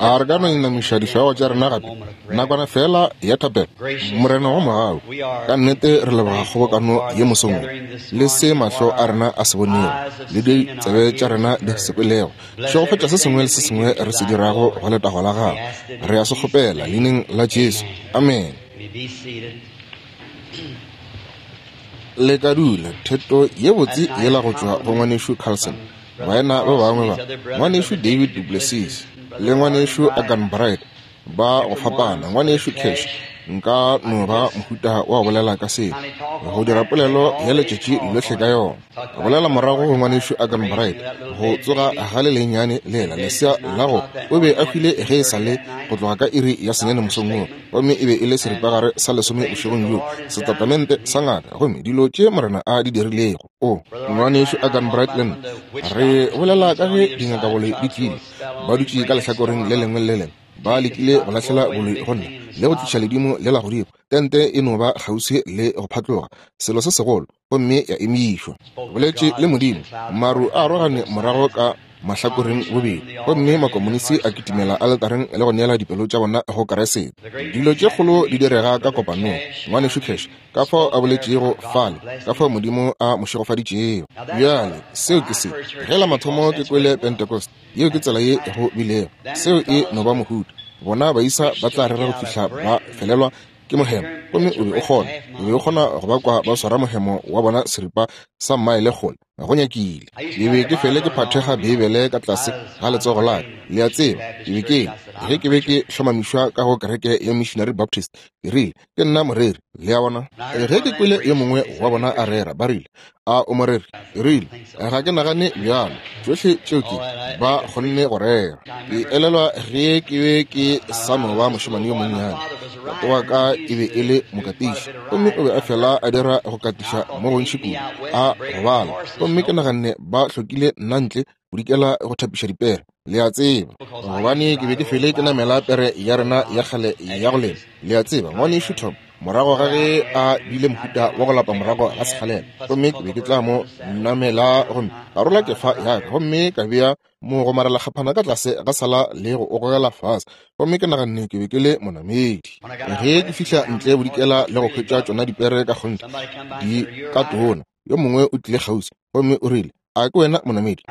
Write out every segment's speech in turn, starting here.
A re ka no inamiša dihlogo tša rena gape nakwana feela ya thapelo? Morena wa mogau, ka nnete re leboga kgobokano ye mosong wo, le se mahlo a rena a se bonego, le ditsebe tša rena di se kwelego. Šegofatša se sengwe le se sengwe re se dirago go letago la Gago. Re a se kgopela Leineng la Jesu. Amene. Le ka dula. Theto ye botse yela go tšwa go Ngwanešu Carlson. Baena ba bangwe ba, Ngwanešu David duPlessis le Ngwanešu Arganbright, ba go fapana. Ngwanešu Cash, nka no ba mohuta wa go bolela ka seo, go dira polelo ya letšatši lohle ka yona. Go bolela morago go Ngwanešu Arganbright, go tsoga ga le lennyane lela, lesea la go o be a hwile ge e sa le go tloga ka iri ya senyane mosong wo, gomme e be e le seripagare sa lesome bošegong bjo, setatamente sa ngaka, gomme dilo tše Morena a di dirilego. O, Ngwanešu Arganbright le nna re bolela ka ge dingakaboloi di tlile, ba dutše ka lehlakoreng le lengwe le le lengwe, ba lekile go lahlela boloi go nna le go tliša ledimo lela godimo. Tente e no ba kgauswi le go phatloga, selo se segolo, gomme ya emišwa. Boletše le Modimo, maru a arogane morago ka mahlakoreng bobedi, gomme makomonisi a kitimela aletareng le go neela dipelo tša bona go Keresete. Dilo tše kgolo di direga ka kopanong. Ngwanešu Cash, ka fao a boletšego fale, ka fao Modimo a mo šegofaditšego. Bjale, seo ke se. Ge la mathomo ke kwele Pentecost, yeo ke tsela ye go bilego. Seo e no ba mohuta. Bona baisa ba tla rera go fihla ba felelwa ke mohemo, gomme o be o kgona, o be o kgona go ba kwa ba swara mohemo wa bona seripa sa mmaele kgole. Go nyakile. Ke be ke fele ke phathega Beibele ka tlase ga letsogo la ka, le a tseba. Ke be ke, ge ke be ke hlomamišwa ka go kereke ya Missionary Baptist, ke rile, Ke nna moreri, le a bona. Ge ke kwele yo mongwe wa bona a rera, ba rile, A o moreri? Ke rile, Ga ke nagane bjalo. Tšohle tšeo ke, ba kgonne go rera. Ke elelwa ge ke be ke sa no ba mošemane yo monnyane, tate wa ka e be e le mokatiši, gomme o be a fela a dira go katiša mo gontši kudu, a gobala. Gomme ke naganne ba hlokile nna ntle bodikela go thapiša dipere, le a tseba, gobane ke be ke fele ke namela pere ya rena ya kgale ya go lema, le a tseba, Ngwanešu Tom, morago ga ge a bile mohuta wa go lapa morago ga sekgalela, gomme ke be ke tla mo namela gomme ka rola kefa ya ka gomme ka bea mogomarelakgaphana ka tlase ga sala le go o gogela fase, gomme ke naganne ke be ke le monamedi. Ge ke fihla ntle bodikela le go hwetša tšona dipere ka kgonthe di ka tona, yo mongwe o tlile kgauswi gomme o rile, A ke wena monamedi?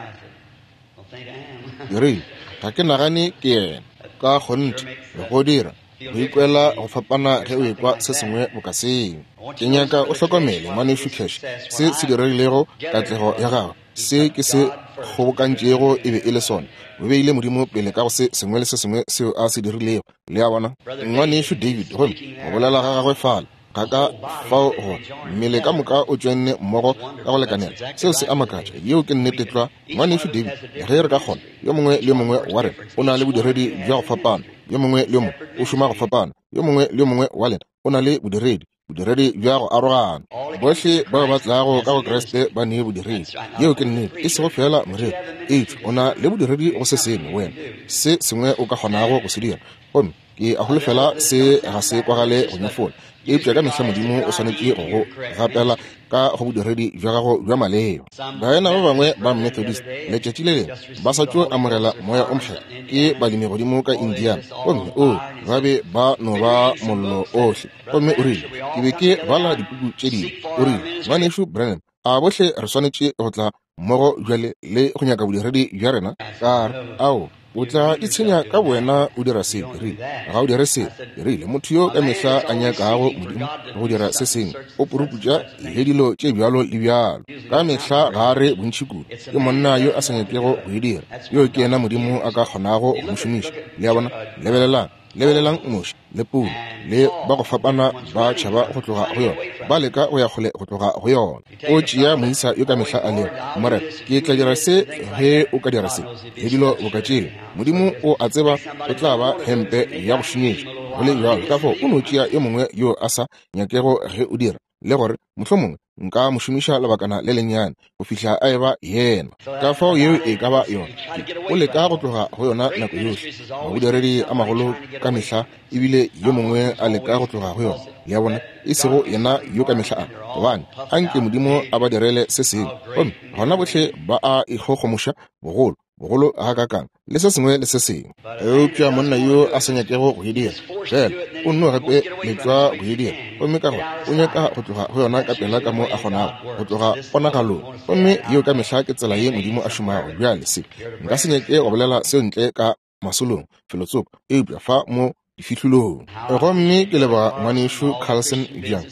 Ke rile, Ga ke nagane ke yena. Ka kgonthe, go dira go ikwela go fapana ge o ekwa se sengwe boka seo. Ke nyaka o hlokomele, Ngwanešu Cash, se se diregilego katlego ya gago. Se ke se kgobokantšego e be e le sona. O beile Modimo pele ka go se sengwe le se sengwe seo a se dirilego. Le a bona? Ngwanešu David, gomme go bolela ga gagwe fale, ga ka fao gore mmele ka moka o tšwenne mmogo ka go lekanela. Seo se a makatša. Yeo ke nnete tlwa, Ngwanešu David. Ge re ka kgona, yo mongwe le yo mongwe wa rena o na le bodiredi bja go fapana, yo mongwe le yo mongwe o šoma go fapana, yo mongwe le yo mongwe wa lena o na le bodiredi, bodiredi bja go arogana. Bohle bao ba tlago ka go Kriste ba ne bodiredi. Yeo ke nnete, e sego feela moreri, eupša o na le bodiredi go se sengwe, wena, se sengwe o ka kgonago go se dira. Gomme Ke a holofela se ga se kwagale go nyefola, eupša ka mehla Modimo o swanetše go go gapela ka go bodiredi bja gago bja maleba. Baena ba bangwe ba Methodist letšatši le lengwe ba sa tšo amogela Moya o Mokgethwa, ke balemi godimo ka Indiana, gomme oo, ba be ba no ba mollo ohle. Gomme o rile, Ke be ke bala dipuku tše dingwe. O rile, Ngwanešu Branham, a bohle re swanetše go tla mmogo bjale le go nyaka bodiredi bja rena? Ka re, Ao, o tla itshenya ka bowena o dira seo. Ke rile, Ga o dire seo. Ke rile, Motho yo ka mehla a nyakago Modimo go dira se sengwe, o puruputša le dilo tše bjalo le bjalo. Ka mehla ga a re bontši kudu. Ke monna yo a sa nyakego go e dira. Yoo ke yena Modimo a ka kgonago go mo šomiša. Le a bona? Lebelelang. Lebelelang Moshe le Paulo le ba go fapana ba tšhaba go tloga go yona, ba leka go ya kgole go tloga go yona. O tšea moisa yo ka mehla a lego, Morena, ke tla dira se ge o ka dira se, le dilo boka tšeo. Modimo o a tseba o tla ba hempe ya go šunyetša, go le bjalo. Ka fao o no tšea yo mongwe yo a sa nyakego ge o dira, le gore mohlomongwe nka mo šomiša lebakana le lennyane go fihla a eba yena. Ka fao yeo e ka ba yona. O leka go tloga go yona nako yohle. Mabodiredi a magolo ka mehla ebile yo mongwe a leka go tloga go yona. Le a bona? E sego yena yo ka mehla a, gobane a nke Modimo a ba direle se sengwe. Gomme gona bohle ba a ikgogomoša bogolo. bogolo gakaakang, le se sengwe le se sengwe. Eupša monna yo a sa nyakego go e dira, feela o nno gape letšwa go e dira, gomme ka gore o nyaka go tloga go yona ka pela ka mo a kgonago, go tloga ponagalong. Gomme yeo ka mehla ke tsela ye Modimo a šomago. Bjale se, nka se nyake go bolela seo ntle ka masolong felotsoko, eupša fa mo difihlolong. Gomme ke leboga Ngwanešu Carlson bjang,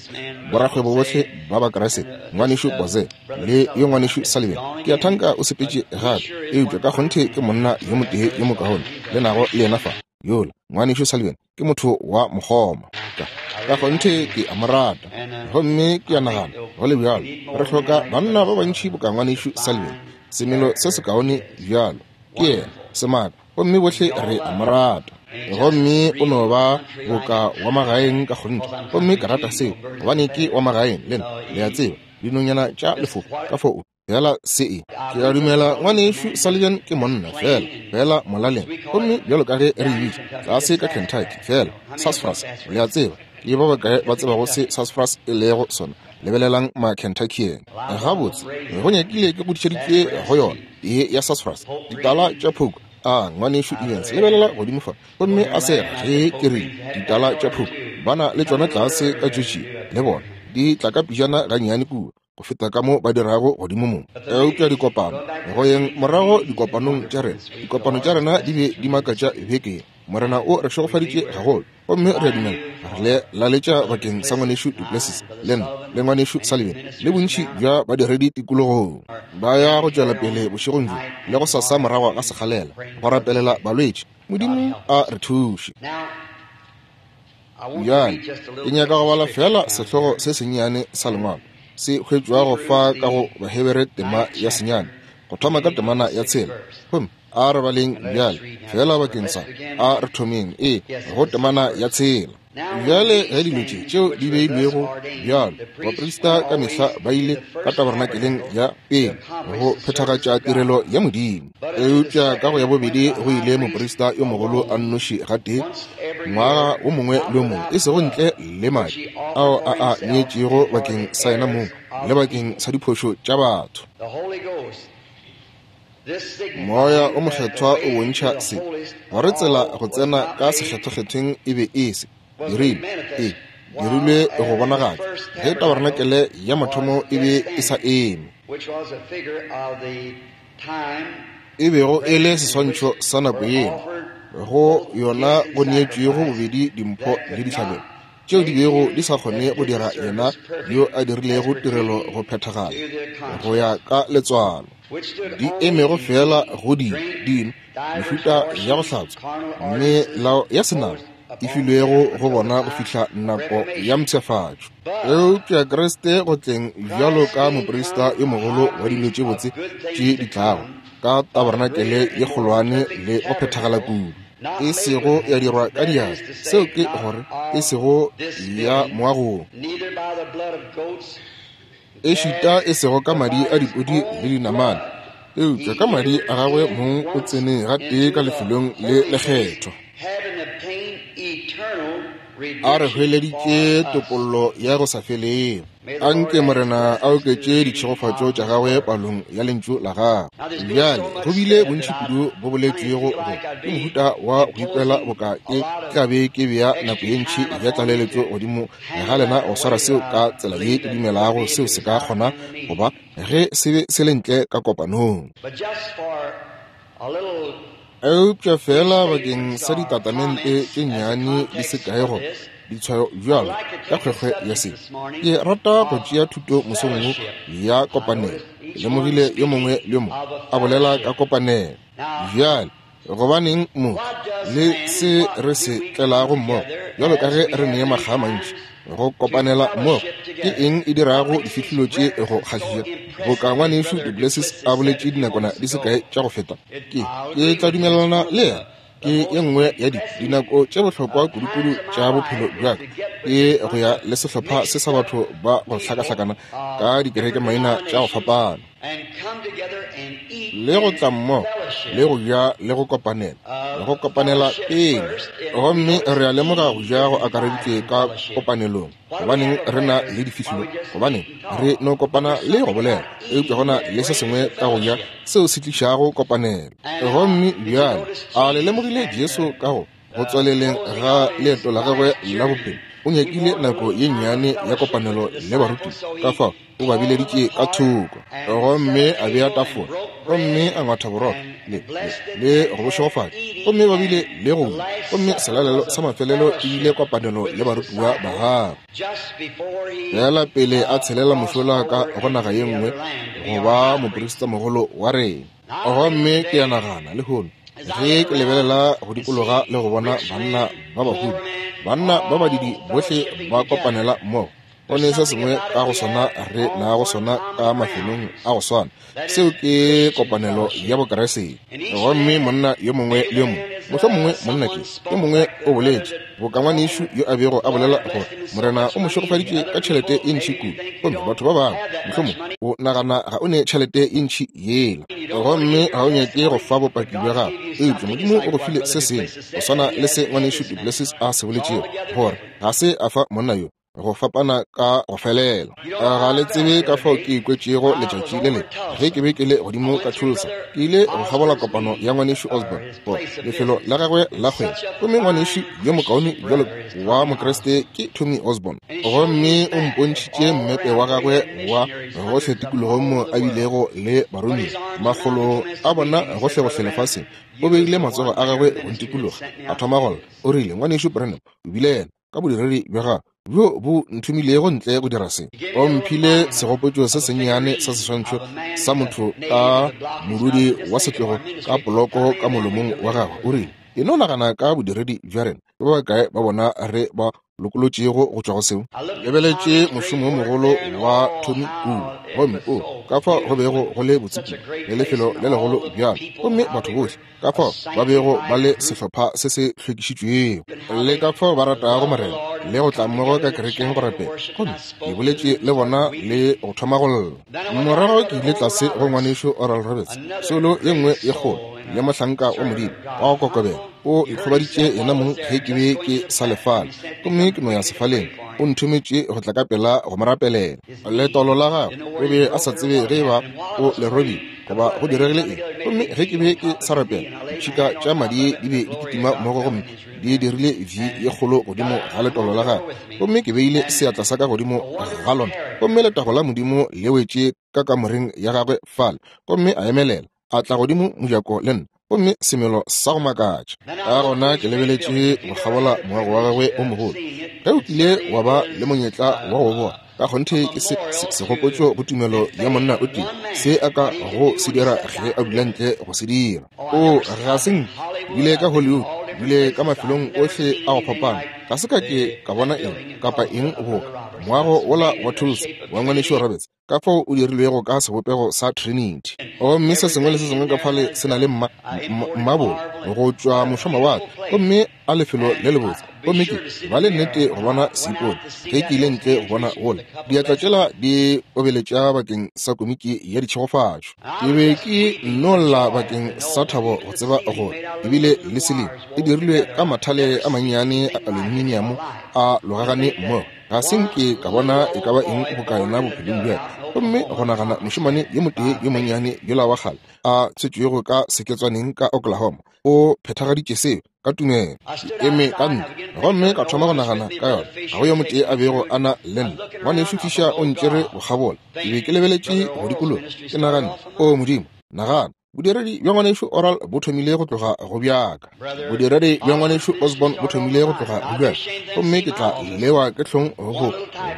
borakgwebo bohle ba Bakriste, Ngwanešu Boze le yo Ngwanešu Sullivan. Ke a thanka o sepetše gape, eupša ka kgonthe ke monna yo motee yo mokaone le nago le yena fa. Yola Ngwanešu Sullivan ke motho wa mokgoma. Ka kgonthe ke a mo rata. Gomme ke a nagana, go le bjalo, re hloka banna ba bantši boka Ngwanešu Sullivan, semelo se sekaone bjalo. Ke yena semaka, gomme bohle re a mo rata. Gomme o no ba boka wa magaeng ka kgonthe, gomme ke rata seo, gobane ke wa magaeng le nna, le a tseba, dinonyana tša lefoko ka foo fela se e. Ke a dumela Ngwanešu Sullivan ke monna fela, fela molaleng, gomme bjalo ka ge re e bitša tlase ka Kentucky, fela sassafras, le a tseba. Ke ba bakae ba tsebago se sassafras e lego sona? Lebelelang ma-Kentuckian. Gabotse, go nyakile ke godišeditšwe go yona ye ya sassafras, ditala tša phoku. A Ngwanešu Evans, lebelela godimo fa, gomme a sega ge ke rile ditala tša phoku. Ba na le tšona tlase ka Georgia, le bona. Di tla ka pejana gannyane kua go feta ka mo ba dirago godimo mo. Eupša dikopano, go yeng morago dikopanong tša rena, dikopano tša rena di be di makatša beke ye. Morena o re šegofaditše gagolo, gomme re a dumela re le laletša bakeng sa Ngwanešu duPlessis le nna le Ngwanešu Sullivan le bontši bja badiredi tikologong. Ba ya go tšwela pele bošegong bjo le go sasa morago ga sekgalela go rapelela balwetši. Modimo a re thuše. Bjale ke nyaka go bala feela sehlogo se sennyane sa Lengwalo se hwetšwago fa ka go Bahebere tema ya senyane, go thoma ka temana ya 6. Gomme a re baleng bjale feela bakeng sa, a re thomeng, ee, go temana ya 6. Bjale ge dilo tše tšeo di beilwego bjalo, baprista ka mehla ba ile ka tabernakeleng ya pele go phethagatša tirelo ya Modimo. Eupša ka go ya bobedi go ile moprista yo mogolo a nnoši gatee ngwaga o mongwe le o mongwe, e sego ntle le madi ao a a neetšego bakeng sa yena mong le bakeng sa diphošo tša batho. Moya o Mokgethwa o bontšha se, gore tsela go tsena ka Sekgethwakgethweng e be e se dirilwe, e dirilwe go bonagatšwa ge tabarenakele ya mathomo e be e sa eme, e bego e le seswantšho sa nako yeo go yona go neetšwego bobedi dimpho le dihlabelo tšeo di bego di sa kgone go dira yena yo a dirilego tirelo go phethagala go ya ka letswalo, di emego feela go dino, dino, mehuta ya go hlatswa, melao ya senama e filwego go bona go fihla nako ya mpshafatšo. Eupša Kriste go tleng bjalo ka moprista yo mogolo wa dilo tše botse tše di tlago, ka tabarenakele ye kgolwane le go phethagala kudu, e sego ya dirwa ka diatla, seo ke gore, e sego ya moagong, ešita e sego ka madi a dipudi le dinamane, eupša ka madi a gagwe mong o tsene gatee ka lefelong le lekgethwa, a re hweleditše topollo ya go sa felego. A nke Morena a oketše ditšhegofatšo tša gagwe palong ya lentšu la gagwe. Bjale go bile bontši kudu bo boletšwego go ke mohuta wa go ikwela boka ke tla be ke bea nako ye ntši ya tlaleletšo godimo ga lena go swara seo ka tsela ye ke dumelago seo se ka kgona go ba ge se be se le ntle ka kopanong. Eupša feela bakeng sa ditatamente tše nnyane di se kae goba ditshwayo bjalo ka kgwekgwe ya se, ke rata go tšea thuto mosong wo ya kopanelo. Ke lemogile yo mongwe le yo mongwe a bolela ka kopanelo. Bjale, gobaneng mo le se re se tlelago mmogo, bjalo ka ge re ne makga a mantši go kopanela mmogo, ke eng e dirago difihlolo tše go kgahliša? Boka Ngwanešu duPlessis a boletše dinakwana di se kae tša go feta, ke, ke tla dumelelana le yena. Ke ye nngwe ya di, dinako tše bohlokwa kudukudu tša bophelo bja ka, ke go ya le sehlopha se sa batho ba go hlakahlakana ka dikerekemaina tša go fapana. Le go tla mmogo le go ja le go kopanela, le go kopanela pele. Gomme re a lemoga go ja go akareditšwe ka kopanelong. Gobaneng re na le difihlolo? Gobaneng re no kopana le go bolela? Eupša go na le se sengwe ka go ja seo se tlišago kopanelo. Gomme bjale a le lemogile Jesu ka go go tswaleleng ga leeto la gagwe la bophelo, o nyakile nako ye nnyane ya kopanelo le barutiwa, ka fao o ba bileditše ka thoko gomme a bea tafola gomme a ngwatha borotho le, le, le go bo šegofatša, gomme ba bile le go ja. Gomme selalelo sa mafelelo e bile kopanelo le barutiwa ba gagwe. Feela pele a tshelela mošola ka go naga ye nngwe go ba moprista mogolo wa rena. Gomme ke a nagana lehono, ge ke lebelela go dikologa le go bona banna ba bahumi, banna ba badidi bohle ba kopanela mmogo, go ne se sengwe ka go sona re nago sona ka mafelong a go swana, seo ke kopanelo ya Bokriste. Gomme monna yo mongwe le yo mongwe, mohlomongwe monna ke yo mongwe o boletše boka ngwanešu yo a bego a bolela gore Morena o mo šegofaditše ka tšhelete ye ntši kudu, gomme batho ba bangwe mohlomongwe o nagana ga o ne tšhelete ye ntši yela, gomme ga o nyake go fa bopaki bja gago, eupša Modimo o go file se sengwe go swana le se ngwanešu duPlessis a se boletšego, gore ga se a fa monna yo go fapana ka go felela. Ga le tsebe ka fao ke ikwetšego letšatši le lengwe ge ke be ke le godimo ka Tulsa. Ke ile go kgabola kopano ya ngwanešu Osborne, go lefelo la gagwe la kgwebo. Gomme ngwanešu yo mokaone bjalo wa Mokriste ke Tommy Osborne. Gomme o mpontšhitše mmepe wa gagwe wa gohle tikologong mo a bilego le baromiwa, makgolo a bona gohlegohle lefaseng. O beile matsogo a gagwe go ntikologa, a thoma go lla. O rile, Ngwanešu Branham, o bile yena ka bodiredi bja gago bjo bo nthomilego ntle go dira se. O mphile segopotšo se sennyane sa seswantšho sa motho ka morudi wa setlogo ka poloko ka molomong wa gagwe. O rile, E no nagana ka bodiredi bja rena. Ke ba bakae ba bona re ba lokolotšego go tšwa go seo? Lebeletše mošomo wo mogolo wa Tommy kua, gomme o ka fao go bego go le botse kudu, le lefelo le legolo bjalo, gomme batho bohle ka fao ba bego ba le sehlopha se se hlwekišitšwego, le ka fao ba ratago Morena le go tla mmogo ka kerekeng go rapela. Gomme ke boletše le bona le go thoma go lla. Morago ke ile tlase go ngwanešu Oral Roberts, soulo ye nngwe ye kgolo, le mohlanka wa Modimo wa go kokobela, o ikgobaditše yena mong ge ke be ke sa le fale, gomme ke no ya sefaleng. O nthometše go tla ka pela go mo rapelela. Letolo la gagwe, o be a sa tsebe ge e ba o le robile goba go diregile eng. Gomme ge ke be ke sa rapela, ditšhika tša madi di be di kitima mmogo gomme di dirile V ye kgolo godimo ga letolo la gagwe. Gomme ke beile seatla sa ka godimo ga lona, gomme letago la Modimo le wetše ka kamoreng ya gagwe fale, gomme a emelela, a tla godimo mojako le nna, gomme semelo sa go makatša. Ka gona ke lebeletše go kgabola moago wa gagwe o mogolo. Ge o kile wa ba le monyetla wa go bona, ka kgonthe ke se, se, segopotšo go tumelo ya monna o tee, se a ka go se dira ge a dula ntle go se dira. O, ga se nke bile ka Hollywood, bile ka mafelong ohle a go fapana, ga se ka ke ka bona eng kapa eng boka moago wola wa Tulsa wa Ngwanešu Roberts, ka fao o dirilwego ka sebopego sa Trinity. Gomme se sengwe le se sengwe ka fale se na le mma, mmabolo go tšwa mošomawatle, gomme a lefelo le lebotse. Gomme ke ba le nnete go bona seipone ge ke ile ntle go bona gola diatla tšela di obeletša bakeng sa komiki ya ditšhegofatšo. Ke be ke nno lla bakeng sa thabo go tseba gore ebile le siling e dirilwe ka mathale a mannyane a aluminiamo a logagane mmogo. Ga se nke ka bona e ka ba eng boka yona bophelong bja ka. Gomme go nagana mošemane yo motee yo monnyane yola wa kgale a tswetšwego ka seketswaneng ka Oklahoma, o phethagaditše seo ka tumelo. Ke eme ka ntle gomme ka thoma go nagana ka yona. Ga go yo motee a bego a na le nna. Ngwanešu Fisher o ntšere go kgabola. Ke be ke lebeletše go dikologa, ke naganne, O Modimo, nagana. Bodiredi bja ngwanešu Oral bo thomile go tloga go bjaka. Bodiredi bja ngwanešu Osborn bo thomile go tloga go bjaka. Gomme ke tla lewa ke hlong go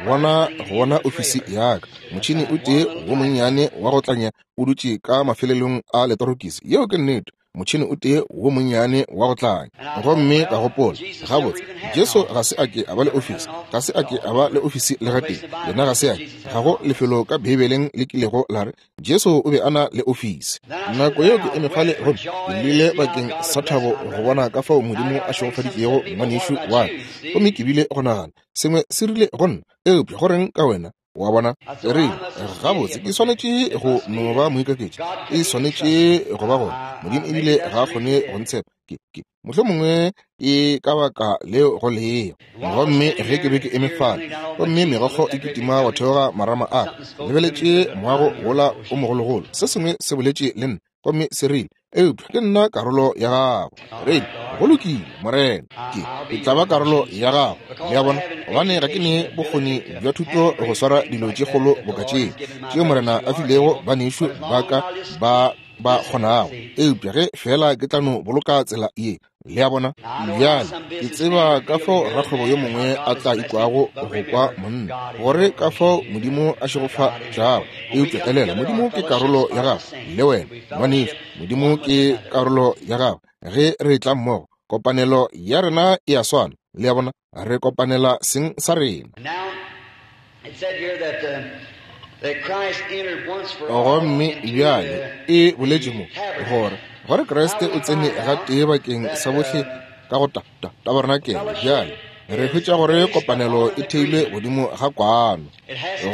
bona, go bona ofisi ya ka. Motšhene o tee wo monnyane wa go tlanya o dutše ka mafelelong a letorokisi. Yeo ke nnete. Motšhene o tee wo monnyane wa go tlanya. Gomme ka gopola, Gabotse, Jesu ga se a ke a ba le ofisi. Ga se a ke a ba le ofisi le gatee. Yena ga se a ke. Ga go lefelo ka Beibeleng le kilego la re Jesu o be a na le ofisi. Nako yeo ke eme fale gomme ke llile bakeng sa thabo go bona ka fao Modimo a šegofaditšego ngwanešu wa ka. Gomme ke bile go nagana, Sengwe se rile go nna, Eupša go reng ka wena? Wa bona? Ke rile, Gabotse, ke swanetše go no ba moikaketši. E swanetše go ba gore Modimo ebile ga a kgone go ntshepa. Ke, ke, mohlomongwe ke ka baka leo go lego. Gomme ge ke be ke eme fale, gomme megokgo e kitima go theoga marama a ka, lebeletše moago wola o mogologolo, se sengwe se boletše le nna, gomme se rile, Eupša ke nna karolo ya gago. Rile, Go lokile, Morena, ke, ke tla ba karolo ya gago. Le a bona? Gobane ga ke ne bokgoni bja thuto go swara dilo tše kgolo boka tše, tšeo Morena a filego banešu ba ka ba ba kgonago. Eupša ge feela ke tla no boloka tsela ye, Le a bona? Bjale, ke tseba ka fao rakgwebo yo mongwe a tla ikwago go kwa monna, gore ka fao Modimo a šegofatšago. Eupša elela, Modimo ke karolo ya gago, le wena, ngwanešu. Modimo ke karolo ya gago. Ge re etla mmogo, kopanelo ya rena e a swana. Le a bona? Re kopanela seng sa rena. Gomme bjale e boletše mo gore gore Kriste o tsene gatee bakeng sa bohle ka go ta, ta, tabarenakele. Bjale re hwetša gore kopanelo e theilwe godimo ga kwano.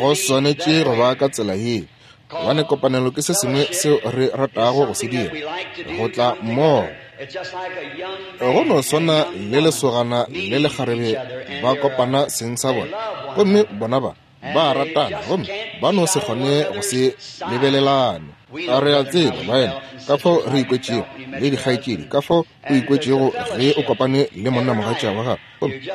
Go swanetše go ba ka tsela ye, gobane kopanelo ke se sengwe seo re ratago go se dira, go tla mmogo. Go no swana le lesogana le lekgarebe ba kopana seng sa bona, gomme bona ba ba ratana, gomme ba no se kgone go se lebelelane. A re a tseba, baena, ka fao re ikwetšego, le dikgaetšedi, ka fao o ikwetšego ge o kopane le monnamogatša wa gago,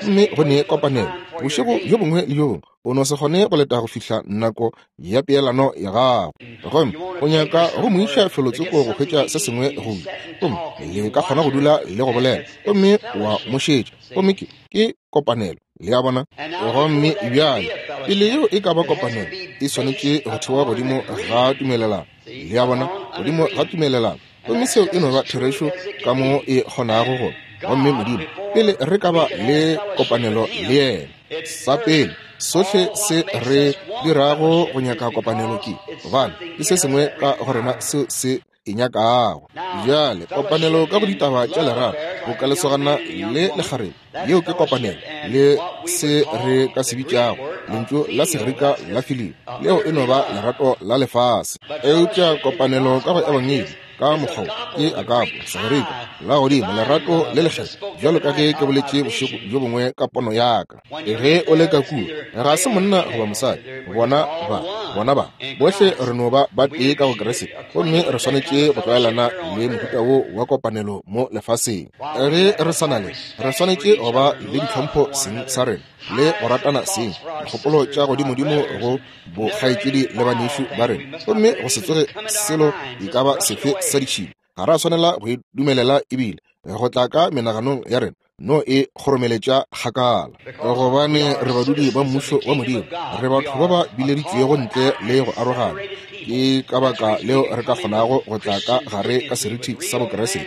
gomme go ne kopanelo bošego bjo bongwe le bjo bongwe. O no se kgone go leta go fihla nako ya peelano ya gago, gomme o nyaka go mo iša felotsoko go hwetša se sengwe go ja, gomme le ka kgona go dula le go bolela, gomme wa mo šetša, gomme ke, ke kopanelo. Le a bona? Gomme bjale, pele yeo e ka ba kopanelo, e swanetše go thewa godimo ga tumelelano. Le a bona? Godimo ga tumelelano. Gomme seo e no ba therešo ka mo e kgonago go. Gomme Modimo, pele re ka ba le kopanelo le yena, sa pele, sohle se re dirago go nyaka kopanelo ke gobane ke se sengwe ka go rena seo se e nyakago. Bjale, kopanelo ka go ditaba tša lerato, boka lesogana le lekgarebe, yeo ke kopanelo le se re ka se bitšago lentšu la Segerika la filio, leo e no ba lerato la lefase. Eupša kopanelo ka go Ebangedi ka mokgwa ke agapo, Segerika, la godimo, lerato le lekgethwa, bjalo ka ge ke boletše bošego bjo bongwe ka pono ya ka. Ge o le ka kua, ga se monna goba mosadi, bona ba, bona ba, bohle re no ba ba tee ka go Kriste, gomme re swanetše go tlwaelana le mohuta wo wa kopanelo mo lefaseng. Ge re sa na le, re swanetše go ba le ditlhompho seng sa rena le go ratana seng, dikgopolo tša godimodimo go bokgaetšedi le banešu ba rena, gomme go se tsoge selo e ka ba sefe sa ditšhila. Ga ra swanela go e dumelela ebile go tla ka menaganong ya rena, no e kgoromeletša kgakala, gobane re badudi ba mmušo wa Modimo, re batho ba ba bileditšwego ntle le go arogana. Ke ka baka leo re ka kgonago go tla ka gare ka seriti sa Bokriste,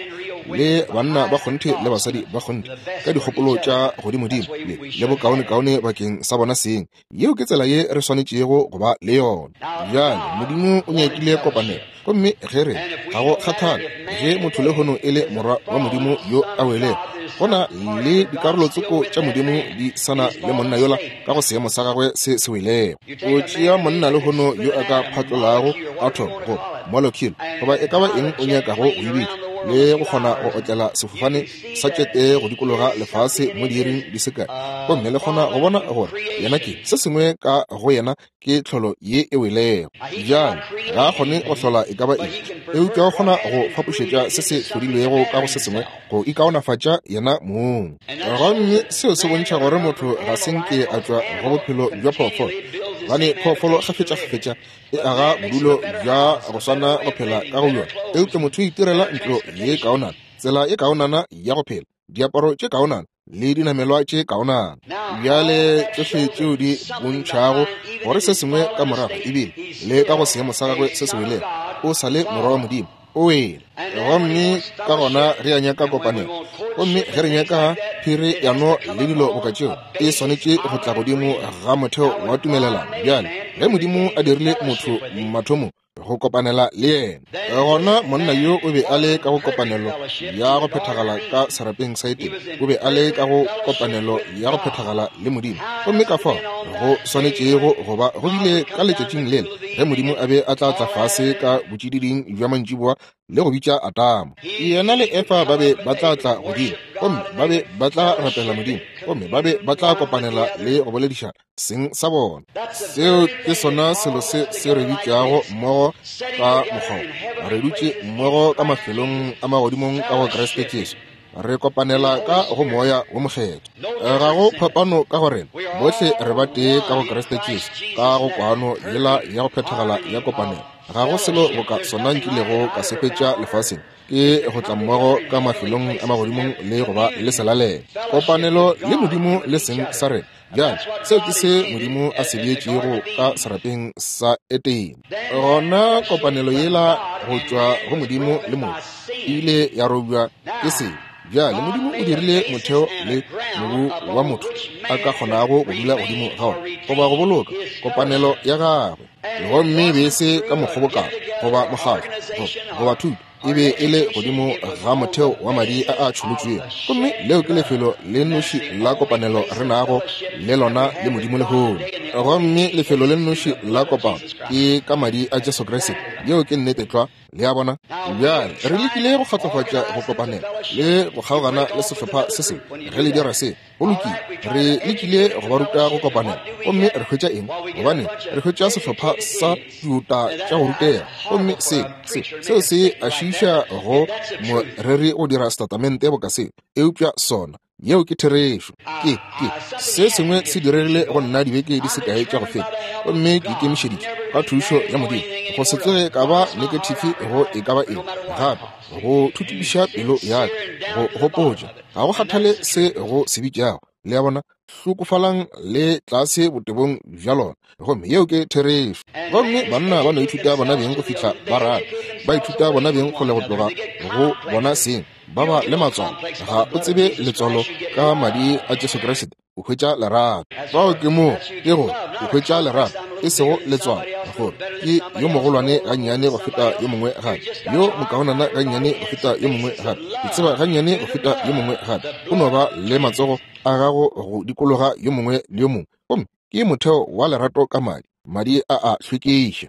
le banna ba kgonthe le basadi ba kgonthe, ka dikgopolo tša godimodimo le, le bokaonekaone bakeng sa bona seng. Yeo ke tsela ye re swanetšego go ba le yona. Bjale, Modimo o nyakile kopanelo. Gomme ge re, ga go kgathale ge motho lehono e le morwa wa Modimo yo a welego, go na le dikarolo tsoko tša Modimo di sa na le monna yola ka go seemo sa gagwe se se welego. O tšea monna lehono yo a ka phatlolago atom go molecule goba e ka ba eng o nyakago go e bitša, le go kgona go otlela sefofane sa tšete go dikologa lefase mo diiring di se kae, gomme le kgona go bona gore yena ke se sengwe ka go yena ke tlholo ye e welego. Bjale ga a kgone go hlola e ka ba eng, eupša o kgona go fapošetša se se hlodilwego ka go se sengwe go ikaonafatša yena mong. Gomme seo se bontšha gore motho ga se nke a tšwa go bophelo bja phoofolo, gobane phoofolo kgafetšakgafetša e aga bodulo bja go swana go phela ka go bjona, eupša motho o itirela ntlo ye kaonana, tsela e kaonana ya go phela, diaparo tše kaonana le dinamelwa tše kaonana. Bjale tšohle tšeo di bontšhago gore se sengwe ka morago ebile le ka go seemo sa gagwe se se welego, o sa le morwa wa Modimo, o wele. Gomme ka gona re a nyaka kopanelo, gomme ge re nyaka phereyano le dilo boka tšeo e swanetše go tla godimo ga motheo wa tumelelano. Bjale, ge Modimo a dirile motho mathomong go kopanela le yena, gona monna yo o be a le ka go kopanelo ya go phethagala ka serapeng sa Edene, o be a le ka go kopanelo ya go phethagala le Modimo. Gomme ka fao go swanetšego go ba go bile ka letšatšing lela ge Modimo a be a tla tla fase ka botšididing bja mantšiboa le go bitša Adama. Yena le Efa ba be ba tla tla godimo, gomme ba be ba tla rapela Modimo, gomme ba be ba tla kopanela le go boledišana seng sa bona. Seo ke sona selo se se re bitšago mmogo ka mokgwa wo. Re dutše mmogo ka mafelong a magodimong ka go Kriste Jesu. Re kopanela ka go Moya wo Mokgethwa. Ga go phapano ka go rena. Bohle re ba tee ka go Kriste Jesu, ka go kwano yela ya go phethagala ya kopanelo. Ga go selo boka sona nkilego ka se hwetša lefaseng, ke go tla mmogo ka mafelong a magodimong le go ba le selalelo. Kopanelo le Modimo le seng sa rena. Bjale, seo ke se Modimo a se beetšego ka serapeng sa Edene. Gona kopanelo yela go tšwa go Modimo le motho e ile ya robja ke sebe. Bjale Modimo o dirile motheo le mobu wa motho a ka kgonago go dula godimo ga ona goba go boloka kopanelo ya gagwe. Gomme e be e se ka mokgobokano goba mokgatlo goba thuto, e be e le godimo ga motheo wa madi a a tšholotšwego. Gomme leo ke lefelo le nnoši la kopanelo re nago le lona le Modimo lehono. Gomme lefelo le nnoši la kopano ke ka madi a Jesu Kriste. Yeo ke nnete tlwa. Le a bona? Bjale, re lekile go kgatlofatša go kopanela le go kgaogana le sehlopha se sengwe. Ge le dira se, Go lokile, re lekile go ba ruta go kopanela, gomme re hwetša eng? Gobane re hwetša sehlopha sa diota tša go rutega, gomme se, se, seo se a šiiša go moreri go dira setatamente boka seo. Eupša sona, yeo ke therešo. Ke, ke, se sengwe se diregile go nna dibeke di se kae tša go feta, gomme ke ikemišeditše, ka thušo ya Modimo, go se tsoge ka ba nekethifi go e ka ba eng gape, go thuthupiša pelo ya ka, go gopotša. Ga go kgathale se go se bitšago, le a bona, hlokofalang le tlase botebong bja lona. Gomme yeo ke therešo. Gomme banna ba no ithuta bona beng go fihla ba rata, ba ithuta bona beng kgole go tloga go bona seng, ba ba le matswalo. Ga o tsebe letswalo ka madi a Jesu Kriste. O hwetša lerato. Fao ke moo ke go o hwetša lerato, e sego letswalo, gore ke yo mogolwane gannyane go feta yo mongwe gape, yo mokaonana gannyane go feta yo mongwe gape, ke tseba gannyane go feta yo mongwe gape. O no ba le matsogo a gago go dikologa yo mongwe le yo mongwe, gomme ke motheo wa lerato ka madi. Madi a a hlwekiša.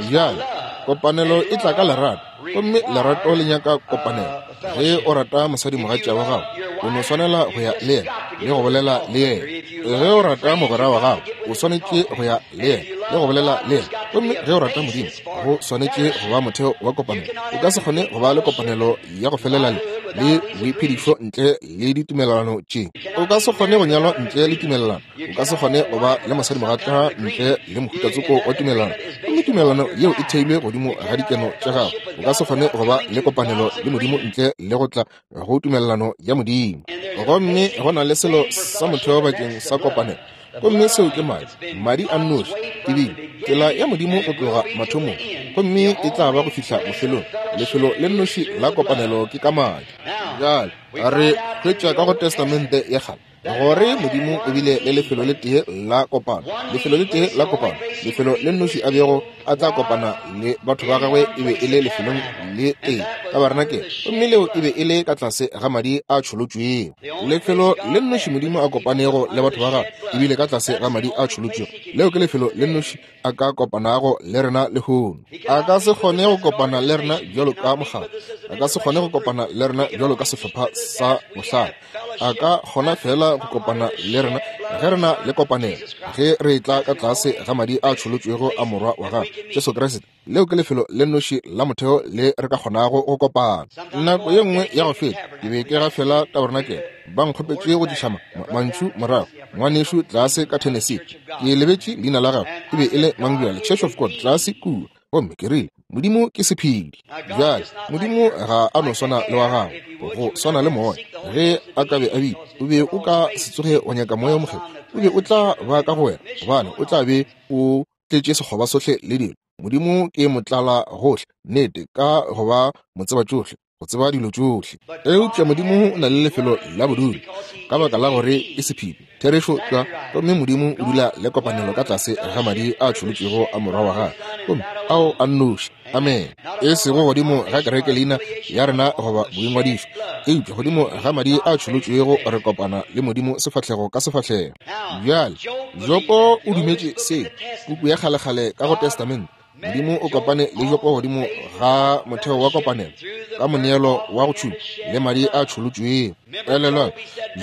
Bjale, kopanelo e tla ka lerato, gomme lerato le nyaka kopanelo. Ge o rata mosadimogatša wa gago, o no swanela go ya le yena le go bolela le yena. Ge o rata mogwera wa gago, o swanetše go ya le yena le go bolela le yena. Gomme ge o rata Modimo, go swanetše go ba motheo wa kopanelo. O ka se kgone go ba le kopanelo ya go felela le le boiphedišo ntle le ditumelelano tše. O ka se kgone go nyalwa ntle le tumelelano. O ka se kgone go ba le mosadimogatša ntle le mohutatsoko wa tumelelano. Gomme tumelelano yeo e theilwe godimo ga dikeno tša gago. O ka se kgone go ba le kopanelo le Modimo ntle le go tla go tumelelano ya Modimo. Gomme go na le selo sa motheo bakeng sa kopanelo, gomme seo ke madi, madi a nnoši. Ebile tsela ya Modimo go tloga mathomong, gomme e tla ba go fihla bofelong. Lefelo le nnoši la kopanelo ke ka madi. Bjale re hwetša ka go Testamente ya Kgale gore Modimo o bile le lefelo le tee la kopano, lefelo le tee la kopano, lefelo le nnoši a bego a tla kopana le batho ba gagwe e be e le lefelong le tee, tabarenakele, gomme leo e be e le ka tlase ga madi a tšholotšwego. Lefelo le nnoši Modimo a kopanego le batho ba gagwe e bile ka tlase ga madi a tšholotšwego. Leo ke lefelo le nnoši a ka kopanago le rena lehono. A ka se kgone go kopana le rena bjalo ka mokgatlo. A ka se kgone go kopana le rena bjalo ka sehlopha sa bohlale. A ka kgona feela go kopana le rena ge re na le kopanelo, ge re etla ka tlase ga madi a tšholotšwego a Morwa wa gagwe, Jesu Kriste. Leo ke lefelo le nnoši la motheo le re ka kgonago go kopana. Nako ye nngwe ya go feta ke be ke gafela tabarenakele, ba nkgopetše go tliša ma, ma, mantšu morago. Ngwanešu tlase ka Tennessee, ke lebetše leina la gagwe, e be e le mang bjale, Church of God tlase kua. Gomme ke rile, Modimo ke sephedi. Bjale, Modimo ga a no swana le wa gago, go swana le moya. Ge a ka be a bile, o be o ka se tsoge wa nyaka Moya wo Mokgethwa. O be o tla ba ka go wena, gobane o tla be o tletše sekgoba sohle le dilo. Modimo ke motlala gohle, nnete, ka go ba motsebatšohle. go tseba dilo tšohle. Eupša Modimo o na le lefelo la bodulo, ka baka la gore ke sephiri, therešo tlwa. Gomme Modimo o dula le kopanelo ka tlase ga madi a tšholotšwego a Morwa wa Gagwe, gomme ao a nnoši. Amene. E sego godimo ga kereke leina ya rena goba boingwadišo, eupša godimo ga madi a tšholotšwego re kopana le Modimo sefahlego ka sefahlego. Bjale, Jopo o dumetše se, puku ya kgalekgale ka go Testamente. Modimo o kopane le Jopo godimo ga motheo wa kopanelo, ka moneelo wa go tšhuma le madi a tšholotšwego. Elelwang,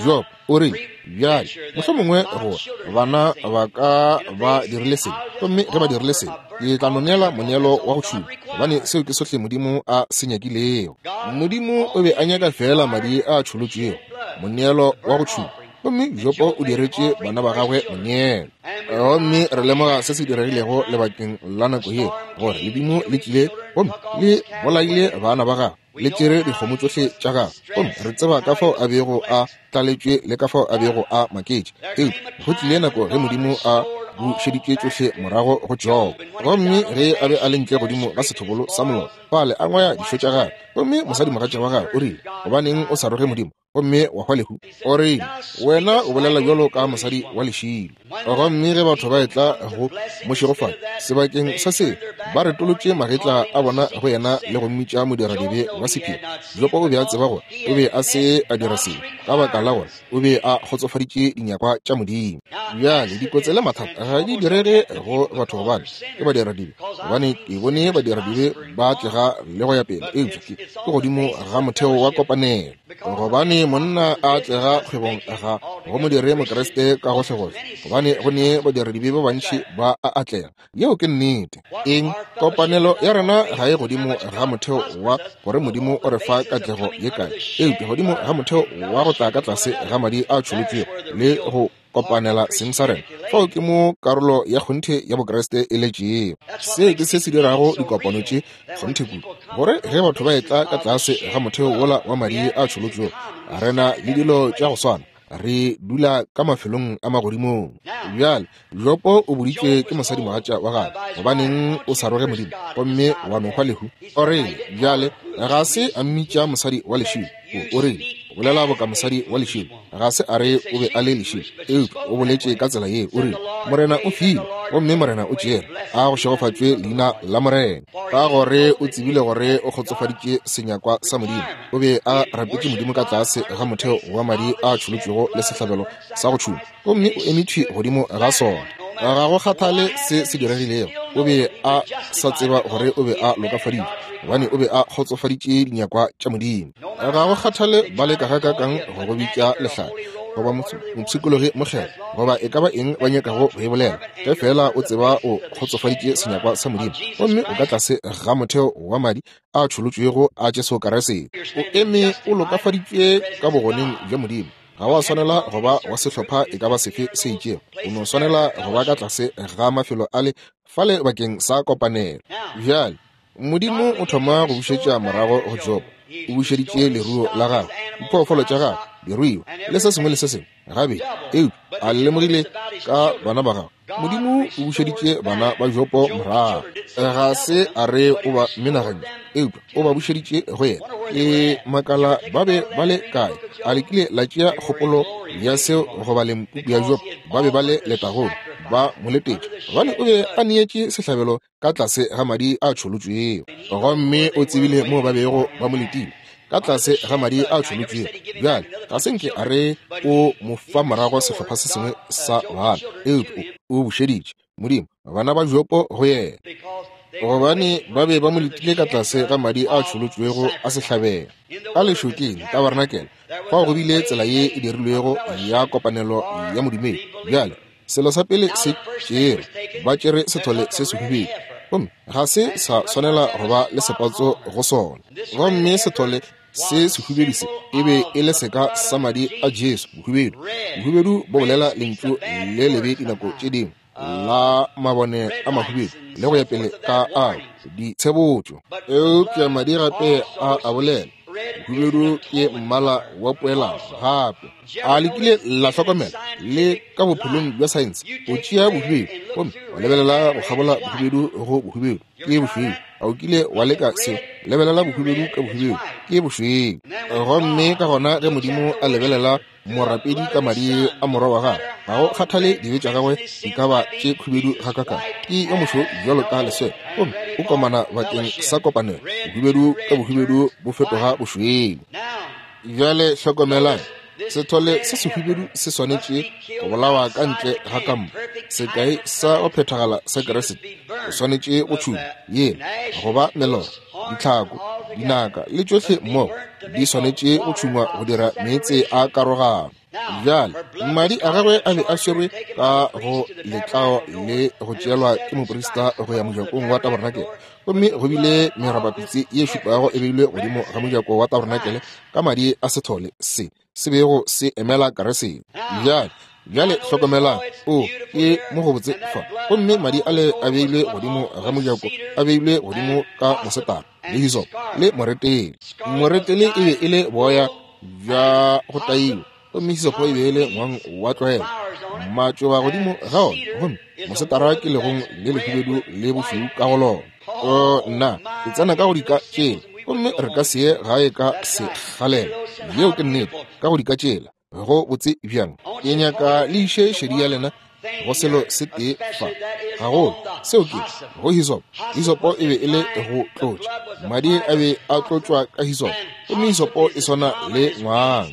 Job o rile, Bjale, mohlomongwe gore bana ba ka ba dirile sebe, gomme ge ba dirile sebe, ke tla no neela moneelo wa go tšhuma, gobane seo ke sohle Modimo a se nyakilego. Modimo o be a nyaka feela madi a tšholotšwego, moneelo wa go tšhuma. Gomme Jopo o diretše bana ba gagwe moneelo. Gomme re lemoga se se diregilego lebakeng la nako yeo, gore ledimo le tlile gomme le bolaile bana ba gagwe, le tšere dikgomo tšohle tša gagwe. Gomme re tseba ka fao a bego a tlaletšwe le ka fao a bego a maketše. Eupša go tlile nako ge Modimo a bušeditše tšohle morago go Jobo. Gomme ge a be a le ntle godimo ga sethobolo sa molora, fale a ngwaya dišo tša gagwe, gomme mosadimogatša wa gagwe o rile, Gobaneng o sa roge Modimo gomme wa hwa lehu? O rile, Wena o bolela bjalo ka mosadi wa lešilo. Gomme ge batho ba etla go mo šegofatša sebakeng sa se, ba retolotše magetla a bona go yena le go mmitša modiradibe wa sephiri. Jopo o be a tseba gore o be a se a dira sebe, ka baka la gore o be a kgotsofaditše dinyakwa tša Modimo. Bjale dikotsi le mathata ga di direge go batho gobane ke badiradibe, gobane ke bone badiradibe ba atlega le go ya pele, eupša ke godimo ga motheo wa kopanelo. Gobane monna a atlega kgwebong ga go mo dire Mokriste ka gohlegohle, gobane go ne badiradibe ba bantši ba a atlega. Yeo ke nnete. Eng? Kopanelo ya rena ga e godimo ga motheo wa gore Modimo o re fa katlego ye kae, eupša godimo ga motheo wa go tla ka tlase ga madi a tšholotšwego le go kopanela seng sa rena. Fao ke mo karolo ya kgonthe ya Bokriste e letšego. Se ke se se dirago dikopano tše kgonthe kudu, gore ge batho ba etla ka tlase ga motheo wola wa madi a tšholotšwego, re na le dilo tša go swana, re dula ka mafelong a magodimong. Bjale, Jopo o boditšwe ke mosadimogatša wa gagwe, Gobaneng o sa roge Modimo gomme wa no hwa lehu? O rile, bjale, ga se a mmitša mosadi wa lešilo. O rile, O bolela boka mosadi wa lešilo. Ga se a re o be a le lešilo, eupša o boletše ka tsela ye. O rile, Morena o file, gomme Morena o tšere. A go šegofatšwe leina la Morena. Ka gore o tsebile gore o kgotsofaditše senyakwa sa Modimo. O be a rapetše Modimo ka tlase ga motheo wa madi a tšholotšwego le sehlabelo sa go tšhuma, gomme o eme thwi godimo ga sona. Ga go kgathale se se diregilego, o be a sa tseba gore o be a lokafaditšwe, gobane o be a kgotsofaditše dinyakwa tša Modimo. Ga go kgathale ba leka gakaakang go go bitša lehlare, goba mopshikologi mokgethwa, goba e ka ba eng ba nyakago go e bolela, ge feela o tseba o kgotsofaditše senyakwa sa Modimo, gomme o ka tlase ga motheo wa madi a tšholotšwego a Jesu Kriste, o eme o lokafaditšwe ka bogoneng bja Modimo. Ga wa swanela go ba wa sehlopha e ka ba sefe se itšego, o no swanela go ba ka tlase ga mafelo ale fale bakeng sa kopanelo. Bjale, Modimo o thoma go bušetša morago go Jobo. O bušeditše leruo la gagwe, diphoofolo tša gagwe, diruiwa, le se sengwe le se sengwe gabedi. Eupša a lemogile ka bana ba gagwe, Modimo o bušeditše bana ba Jobo morago. Ga se a re o ba menagantše, eupša o ba bušeditše go yena. Ke makala ba be ba le kae? A le kile la tšea kgopolo ya seo go baleng puku ya Jobo? Ba be ba le letagong, ba mo letetše, gobane o be a neetše sehlabelo ka tlase ga madi a tšholotšwego. Gomme o tsebile moo ba bego ba mo letile, ka tlase ga madi a tšholotšwego. Bjale, ga se nke a re o mo fa morago sehlopha se sengwe sa bana, eupša o bušeditše Modimo bana ba Jopo go yena, gobane ba be ba mo letile ka tlase ga madi a tšholotšwego a sehlabelo. Ka lešokeng, tabarenakele, fao go bile tsela ye e dirilwego ya kopanelo ya modumedi. Bjale, Selo sa pele se tšere, ba tšere sethole se sehubedu, gomme ga se sa swanela go ba le sepatso go sona. Gomme sethole se sehubedu se e be e le seka sa madi a Jesu, bohubedu. Bohubedu bo bolela lentšu le lebe dinako tše dingwe, la mabone a mahubedu le go ya pele ka ao ditshebotšo. Eupša madi gape a a bolela. Bohubedu ke mmala wa poelano gape. A le kile la hlokomela le ka bophelong bja saense, o tšea bohubedu gomme wa lebelela go kgabola bohubedu go bohubedu, ke bošweu. A o kile wa leka seo? Lebelela bohubedu ka bohubedu, ke bošweu. Gomme ka gona ge Modimo a lebelela morapedi ka madi a morwa wa gagwe, ga go kgathale dibe tša gagwe di ka ba tše khubedu gakakang, ke yo mošweu bjalo ka leswele, gomme o komana bakeng sa kopanelo. Bohubedu ka bohubedu bo fetoga bošweu. Bjale hlokomelang, sethole se sehubedu se swanetše go bolawa ka ntle ga kampa. Sekai sa go phethagala sa Keresete o swanetše go tšhuma yela, goba melora, ditlhako, dinaka le tšohle mmogo di swanetše go tšhungwa go dira meetse a karogano. Bjale madi a gagwe a be a swerwe ka go letlao le go tšeelwa ke moprista go ya mojakong wa tabernakel, gomme go bile merabapitse ye šupago e beilwe godimo ga mojako wa tabernakel ka madi a sethole se se bego se emela Keresete. Bjale, bjale hlokomelang, o ke mo go botse fa. Gomme madi ale a beilwe godimo ga mojako, a beilwe godimo ka mosetara le hisopo le moretele. Moretele e be e le boya bja go taiwa, gomme hisopo e be e le ngwang wa tlwaelo, matšoba godimo ga ona, gomme mosetara ke legong le lehubedu le bošweu ka go lona. O nna, ke tsena ka go dika tšela, gomme re ka se ye gae ka sekgalela. Yeo ke nnete, ka go dika tšela. Go botse bjang. Ke nyaka le iše šedi ya lena go selo se tee fa gagolo, seo ke go hisopo. Hisopo e be e le go tlotša, madi a be a tlotšwa ka hisopo, gomme hisopo e swana le ngwang,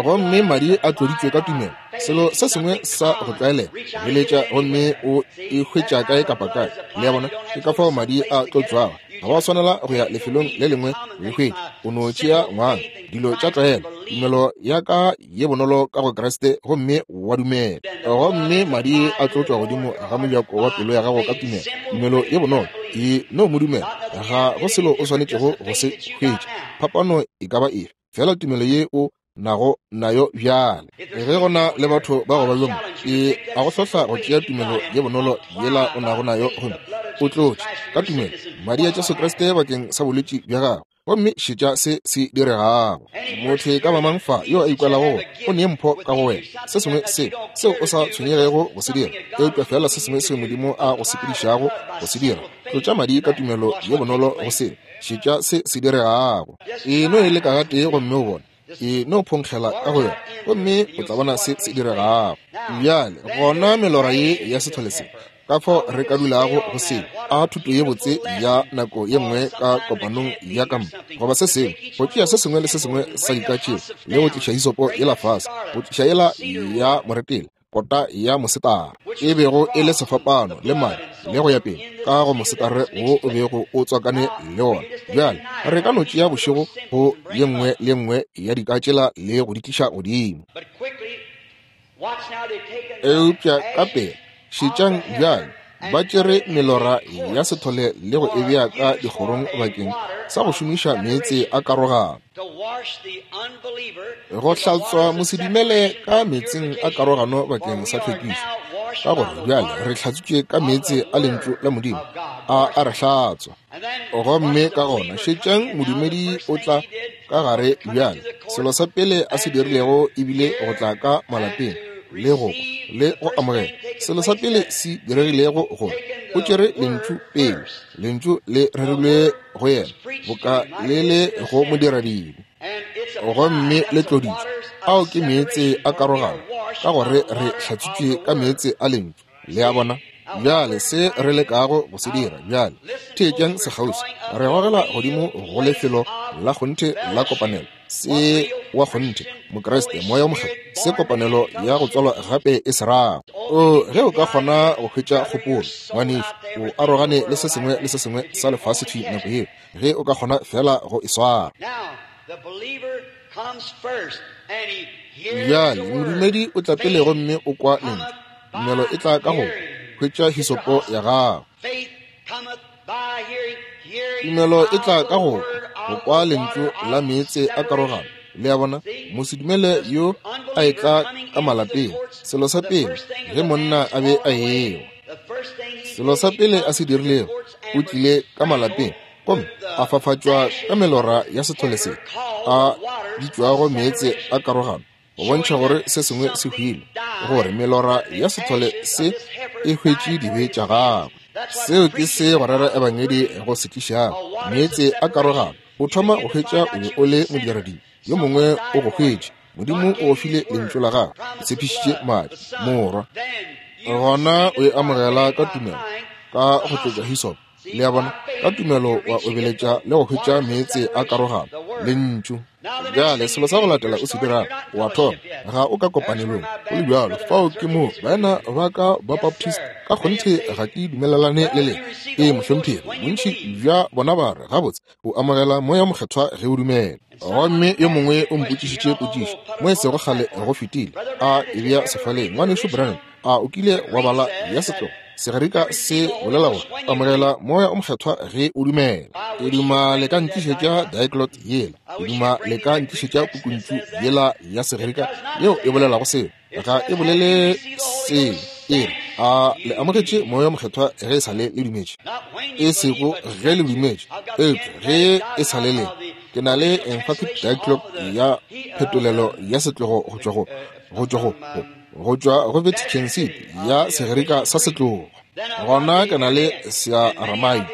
gomme madi a tloditšwe ka tumelo, selo se sengwe sa go tlwaelega, beletša gomme o e hwetša kae kapa kae. Le a bona, ke ka fao madi a tlotšwago. Ga wa swanela go ya lefelong le lengwe go e hwetša, o no tšea ngwang, dilo tša tlwaelo, tumelo ya ka ye bonolo ka go Kriste, gomme wa dumela, gomme madi a tlotšwa godimo ga mojako wa pelo ya gago ka tumelo, tumelo ye bonolo, e no mo dumela. Ga go selo o swanetšego go se hwetša, phapano e ka ba efe, fela tumelo ye o nago nayo bjale. Ge go na le batho ba go ba bjo mo, ke a go hlohla go tšea tumelo ye bonolo yela o nago nayo gomme o tlotše ka tumelo madi a Jesu Kriste bakeng sa bolwetši bja gago, gomme šetša se se diregago. Motho e ka ba mang fa yo a ikwelago gore o ne mpho ka go wena, se sengwe se seo o sa tshwenyegego go se dira, eupša fela se sengwe seo Modimo a go sepedišago go se dira, tlotša madi ka tumelo ye bonolo go se, šetša se se diregago. E no e leka gatee gomme o bone, e no phonkgela ka go yona, gomme o tla bona se se diregago. Bjale gona melora ye ya sethole se, ka fao re ka dulago go seo, a thuto ye botse ya nako ye nngwe ka kopanong ya kampa goba se sengwe, go tšea se sengwe le se sengwe sa dika tšeo le go tliša hisopo yela fase, go tliša yela ya moretele, kota ya mosetara e bego e le sefapano le madi le go ya pele ka go mosetare wo o bego o tswakane le wona. Bjale re ka no tšea bošego go ye nngwe le nngwe ya dika tšela le go di tliša godimo. Eupša ka pela, šetšang bjale, ba tšere melora ya sethole le go e bea ka dikgorong bakeng sa go šomiša meetse a karogano. Go hlatswa mosedumele ka meetseng a karogano bakeng sa tlhwekišo, ka gore bjale re hlatswitšwe ka meetse a Lentšu la Modimo, a a re hlatswa. Gomme ka gona šetšang modumedi o tla ka gare bjale. Selo sa pele a se dirilego e bile go tla ka malapeng le go kwa le go amogela. Selo sa pele se diregilego gore o tšere Lentšu pele, Lentšu le rerilwe go yena boka le le go modiradibe, gomme le tloditšwe. Ao ke meetse a karogano, ka gore re hlatswitšwe ka meetse a Lentšu. Le a bona? Bjale se re lekago go se dira bjale, theetšang sekgauswi, re gogela godimo go lefelo la kgonthe la kopanelo, se wa kgonthe Mokriste, Moya wo Mokgethwa, se kopanelo ya go tswalwa gape e se rago. O, ge o ka kgona go hwetša kgopolo, ngwanešu, o arogane le se sengwe le se sengwe sa lefase thwi nako yeo, ge o ka kgona feela go e swara. Bjale, modumedi o tla pele gomme o kwa lentšu. Tumelo e tla ka go hwetša hisopo ya gago. Tumelo e tla ka go go kwa lentšu la meetse a karogano. Le a bona, mosedumele yo a etla ka malapeng, selo sa pele ge monna a be a ewa, selo sa pele a se dirilego, o tlile ka malapeng gomme a fafatšwa ka melora ya sethole se a bitšwago meetse a karogano. Go bontšha gore se sengwe se hwile, gore melora ya sethole se e hwetše dibe tša gagwe. Seo ke se go rera ebangedi go se tlišago. Meetse a karogano. O thoma go hwetša o be o le modiradibe, yo mongwe o go hwetše. Modimo o go file lentšu la gagwe, o tshepišitše madi, morwa. Gona o e amogela ka tumelo, ka go tlotša hisopo. Le a bona? Ka tumelo wa obeletša le go hwetša meetse a karogano, lentšu. Bjale selo sa go latela o se dirago, wa thoma, ga o ka kopanelong, go le bjalo. Fao ke moo baena ba ka ba Baptist, ka kgonthe ga ke dumelelane le lena. Ee, mohlomphegi, bontši bja bona ba re, Gabotse, o amogela Moya Mokgethwa ge o dumela. Gomme yo mongwe o mpotšišitše potšišo mo e sego kgale go fetile, a e bea sefaleng, Ngwanešu Branham, a o kile wa bala ya setlogo? Segerika se bolela gore amogela Moya o Mokgethwa ge o dumela. Ke duma le ka ntlišetša diglot yela. Ke duma le ka ntlišetša pukuntšu yela ya Segerika yeo e bolelago seo. Ga e bolele seo. E re, a le amogetše Moya o Mokgethwa ge e sa le le dumetše? E sego ge le dumetše, eupša ge e sa le le. Ke na le emphatic diglot ya phetolelo ya setlogo go tšwa go, go tšwa go, go, go tšwa go Vatican City ya Segerika sa setlogo. Gona ke na le Searamaika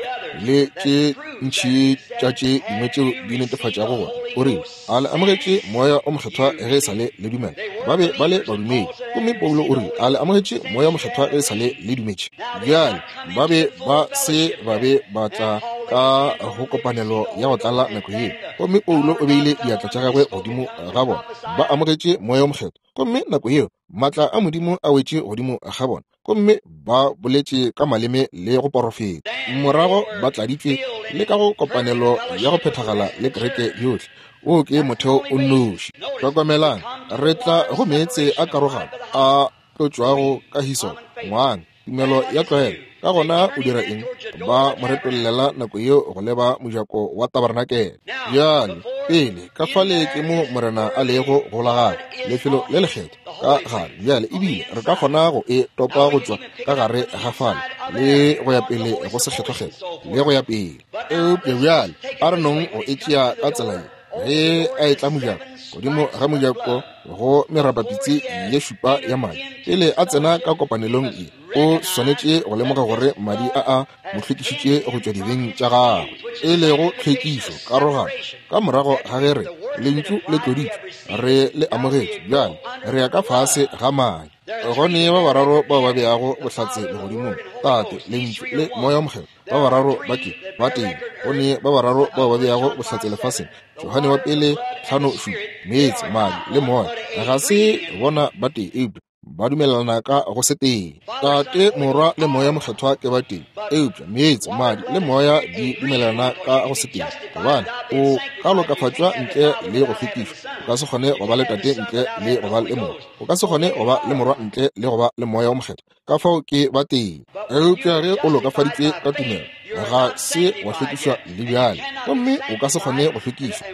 le tše ntši tša tše dingwe tšeo di netefatšago gore o rile a le amogetše Moya o Mokgethwa ge e sa le le dumela. Ba be ba le badumedi. Gomme Paulo o rile a le amogetše Moya o Mokgethwa ge e sa le le dumetše. Bjale ba be ba se ba be ba tla ka go kopanelo ya go tlala nako yeo. Gomme Paulo o beile diatla tša gagwe godimo ga bona. Ba amogetše Moya o Mokgethwa. Gomme nako yeo maatla a Modimo a wetše godimo ga bona, gomme ba boletše ka maleme le go porofeta. Morago ba tladitšwe le ka go kopanelo ya go phethagala le kereke yohle. Wo ke motheo o nnoši. Hlokomelang, re tla go meetse a karogano a tlotšwago ka hisopo, ngwang, tumelo ya tlwaelo. Ka gona o dira eng? Ba mo retollela nako yeo go leba mojako wa tabarenakele. Bjale, pele, ka fale ke mo Morena a lego go la gagwe, lefelo le lekgethwa ka gare. Bjale, ebile re ka kgona go e topa go tšwa ka gare ga fale le go ya pele go sekgethwakgethwa le go ya pele. Eupša bjale a re nong go e tšea ka tsela ye. Ge a etla mojako, godimo ga mojako go merapapitsi ye šupa ya madi, pele a tsena ka kopanelong ye, o swanetše go lemoga gore madi a a mo hlwekišitše go tšwa dibeng tša gagwe, e lego tlhwekišo, karogano. Ka morago ga ge re, Lentšu le tloditšwe, re le amogetše, bjale re ya ka fase ga madi. Go ne ba bararo bao ba beago bohlatse legodimong, Tate, Lentšu, le Moya wo Mokgethwa. Ba bararo ba ke ba teng. Go ne ba bararo bao ba beago bohlatse lefaseng, Johane wa pele 5:7, meetse, madi, le moya. Ga se bona ba tee, eupša ba dumelelana ka go se tee. Tate, Morwa, le Moya Mokgethwa ke ba tee, eupša meetse, madi, le moya di dumelelana ka go se tee. Gobane o ka lokafatšwa ntle le go hlwekišwa. O ka se kgone go ba le Tate ntle le go ba le Morwa. O ka se kgone go ba le Morwa ntle le go ba le Moya wo Mokgethwa. Ka fao ke ba tee. Eupša ge o lokafaditšwe ka tumelo, ga se wa hlwekišwa le bjale, gomme o ka se kgone go hlwekišwa.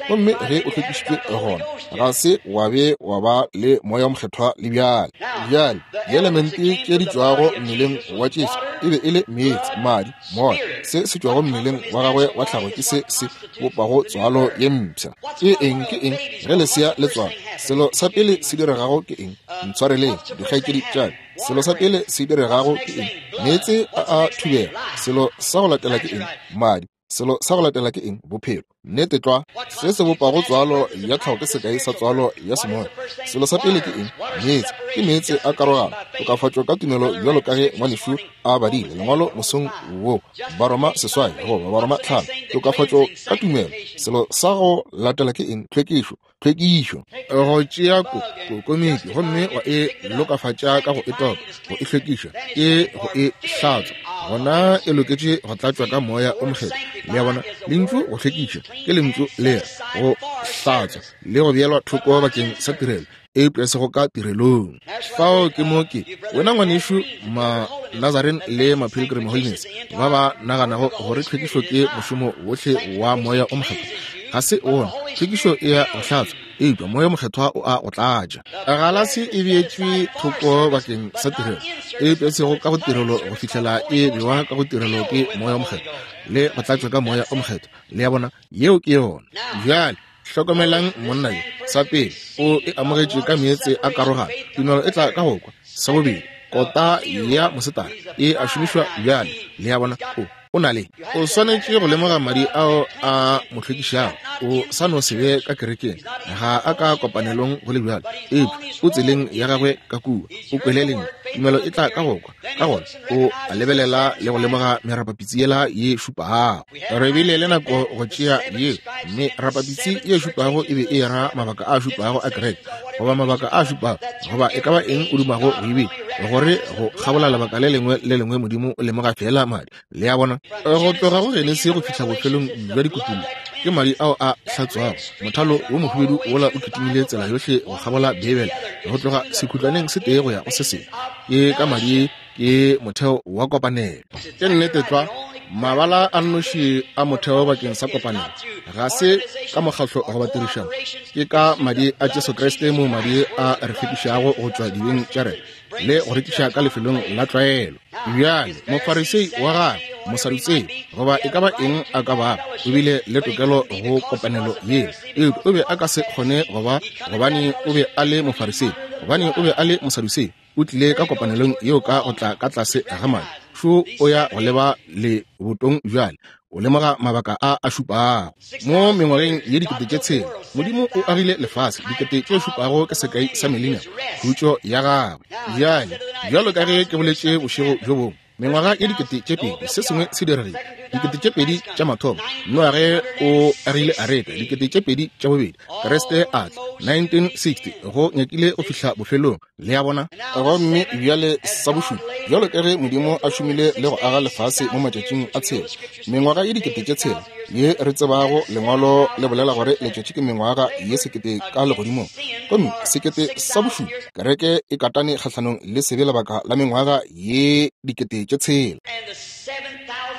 Gomme ge o hlwekišitšwe gona, ga se wa be wa ba le Moya wo Mokgethwa le bjale. Bjale, dielemente tše di tšwago mmeleng wa Jesu e be e le meetse, madi, moya. Se se tšwago mmeleng wa gagwe wa tlhago ke se se bopago tswalo ye mpsha. Ke eng? Ke eng ge lesea le tswalwa? Selo sa pele se diregago ke eng? Ntshwareleng, dikgaetšedi tša ka. Selo sa pele se diregago ke eng? Meetse a a thubega. Selo sa go latela ke eng? Madi. Selo sa go latela ke eng? Bophelo. Nnete tlwa. Se se bopago tswalo ya tlhago ke sekai sa tswalo ya semoya. Selo sa pele ke eng? Meetse. Ke meetse a karogano, tokafatšo ka tumelo, bjalo ka ge ngwanešu a badile lengwalo mosong wo, Baroma 8 goba Baroma 5, tokafatšo ka tumelo. Selo sa go latela ke eng? Tlhwekišo. Tlhwekišo. Go tšea ko, ko komiki gomme wa e lokafatša ka go e topa, go e hlwekiša, ke go e hlatswa, gona e loketše go tlatšwa ka Moya o Mokgethwa. Le a bona? Lentšu go hlwekiša ke lentšu le re go hlatswa le go beelwa thoko bakeng sa tirelo, eupša e sego ka tirelong. Fao ke mo ke wena ngwanešu ma Nazarene le ma Pilgrim Holiness ba ba naganago gore tlhwekišo ke mošomo wohle wa Moya o Mokgethwa. Ga se wona. Tlhwekišo e ya go hlatswa, eupša Moya o Mokgethwa o a go tlatša. Galase e beetšwe thoko bakeng sa tirelo, eupša e sego ka go tirelo go fihlela e bewa ka go tirelo ke Moya o Mokgethwa le go tlatšwa ka Moya o Mokgethwa. Le a bona? Yeo ke yona. Bjale. Hlokomelang monna yo. Sa pele, o e amogetše ka meetse a karogano. Tumelo e tla ka go kwa. Sa bobedi, kota ya mosetara e a šomišwa bjale. Le a bona? O, o na le. O swanetše go lemoga madi ao a mo hlwekišago. O sa no se be ka kerekeng, ga a ka kopanelong go le bjalo, eupša o tseleng ya gagwe ka kua. O kwele lentšu. Tumelo e tla ka go kwa. Ka gona o a lebelela le go lemoga merapapitsi yela ye šupago. Re bile le nako go tšea ye merapapitsi ye šupago e be e ra mabaka a šupago a kereke, goba mabaka a šupago, goba e ka ba eng o dumago go e bitša, gore go kgabola lebaka le lengwe le lengwe Modimo o lemoga feela madi. Le a bona? Go tloga go Genesi go fihla bofelong bja dikutullo, ke madi ao a hlatswago. Mothalo wo mohubedu wola o kitimile tsela yohle go kgabola Beibele, go tloga sekhutlwaneng se tee go ya go se sengwe. Ke ka madi, ke motheo wa kopanelo. Ke nnete tlwa, mabala a nnoši a motheo bakeng sa kopanelo ga se ka mokgatlo goba tirišano, ke ka madi a Jesu Kriste moo madi a re hlwekišago go tšwa dibeng tša rena le go re tliša ka lefelong la tlwaelo. Bjale, Mofarisei wa gagwe, Mosadutsei, goba e ka ba eng a ka bago, o bile le tokelo go kopanelo yeo, eupša o be a ka se kgone go ba, gobane o be a le Mofarisei, gobane o be a le Mosadutsei. O tlile ka kopanelong yeo ka go tla ka tlase ga madi. Šo o ya go leba lebotong bjale, o lemoga mabaka a a šupago. Mo mengwageng ye 6000, Modimo o agile lefase. 7000 ke sekai sa millennium, khutšo ya gagwe. Bjale, bjalo ka ge ke boletše bošego bjo bongwe, mengwaga ye 2000, se sengwe se diregile. 2000 tša mathomo, Noage o agile areka. 2000 tša bobedi, Kriste a tla. 1960, go nyakile go fihla bofelong. Le a bona? Gomme bjale sa bošupa, bjalo ka ge Modimo a šomile le go aga lefase mo matšatšing a tshela, mengwaga ye 6000 ye re tsebago, Lengwalo le bolela gore letšatši ke mengwaga ye 1000 ka legodimong. Gomme sekete sa bošupa, kereke e katane kgahlanong le sebe lebaka la mengwaga ye 6000.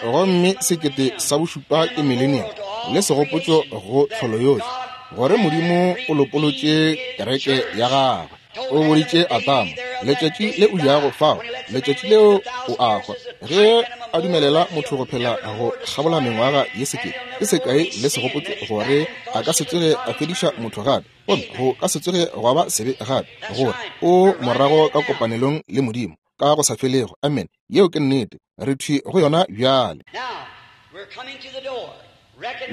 Gomme sekete sa bošupa ke millennium, le segopotšo go tlholo yohle, gore Modimo o lopolotše kereke ya gagwe. O boditše Adama, letšatši le o jago fao, letšatši leo o a hwa. Ge a dumelela motho go phela go kgabola mengwaga ye sekete, ke sekai le segopotšo gore a ka se tsoge a fediša motho gape, gomme go ka se tsoge gwa ba sebe gape, gore o morago ka kopanelong le Modimo ka go sa felego. Amen. Yeo ke nnete. Re thwi go yona bjale.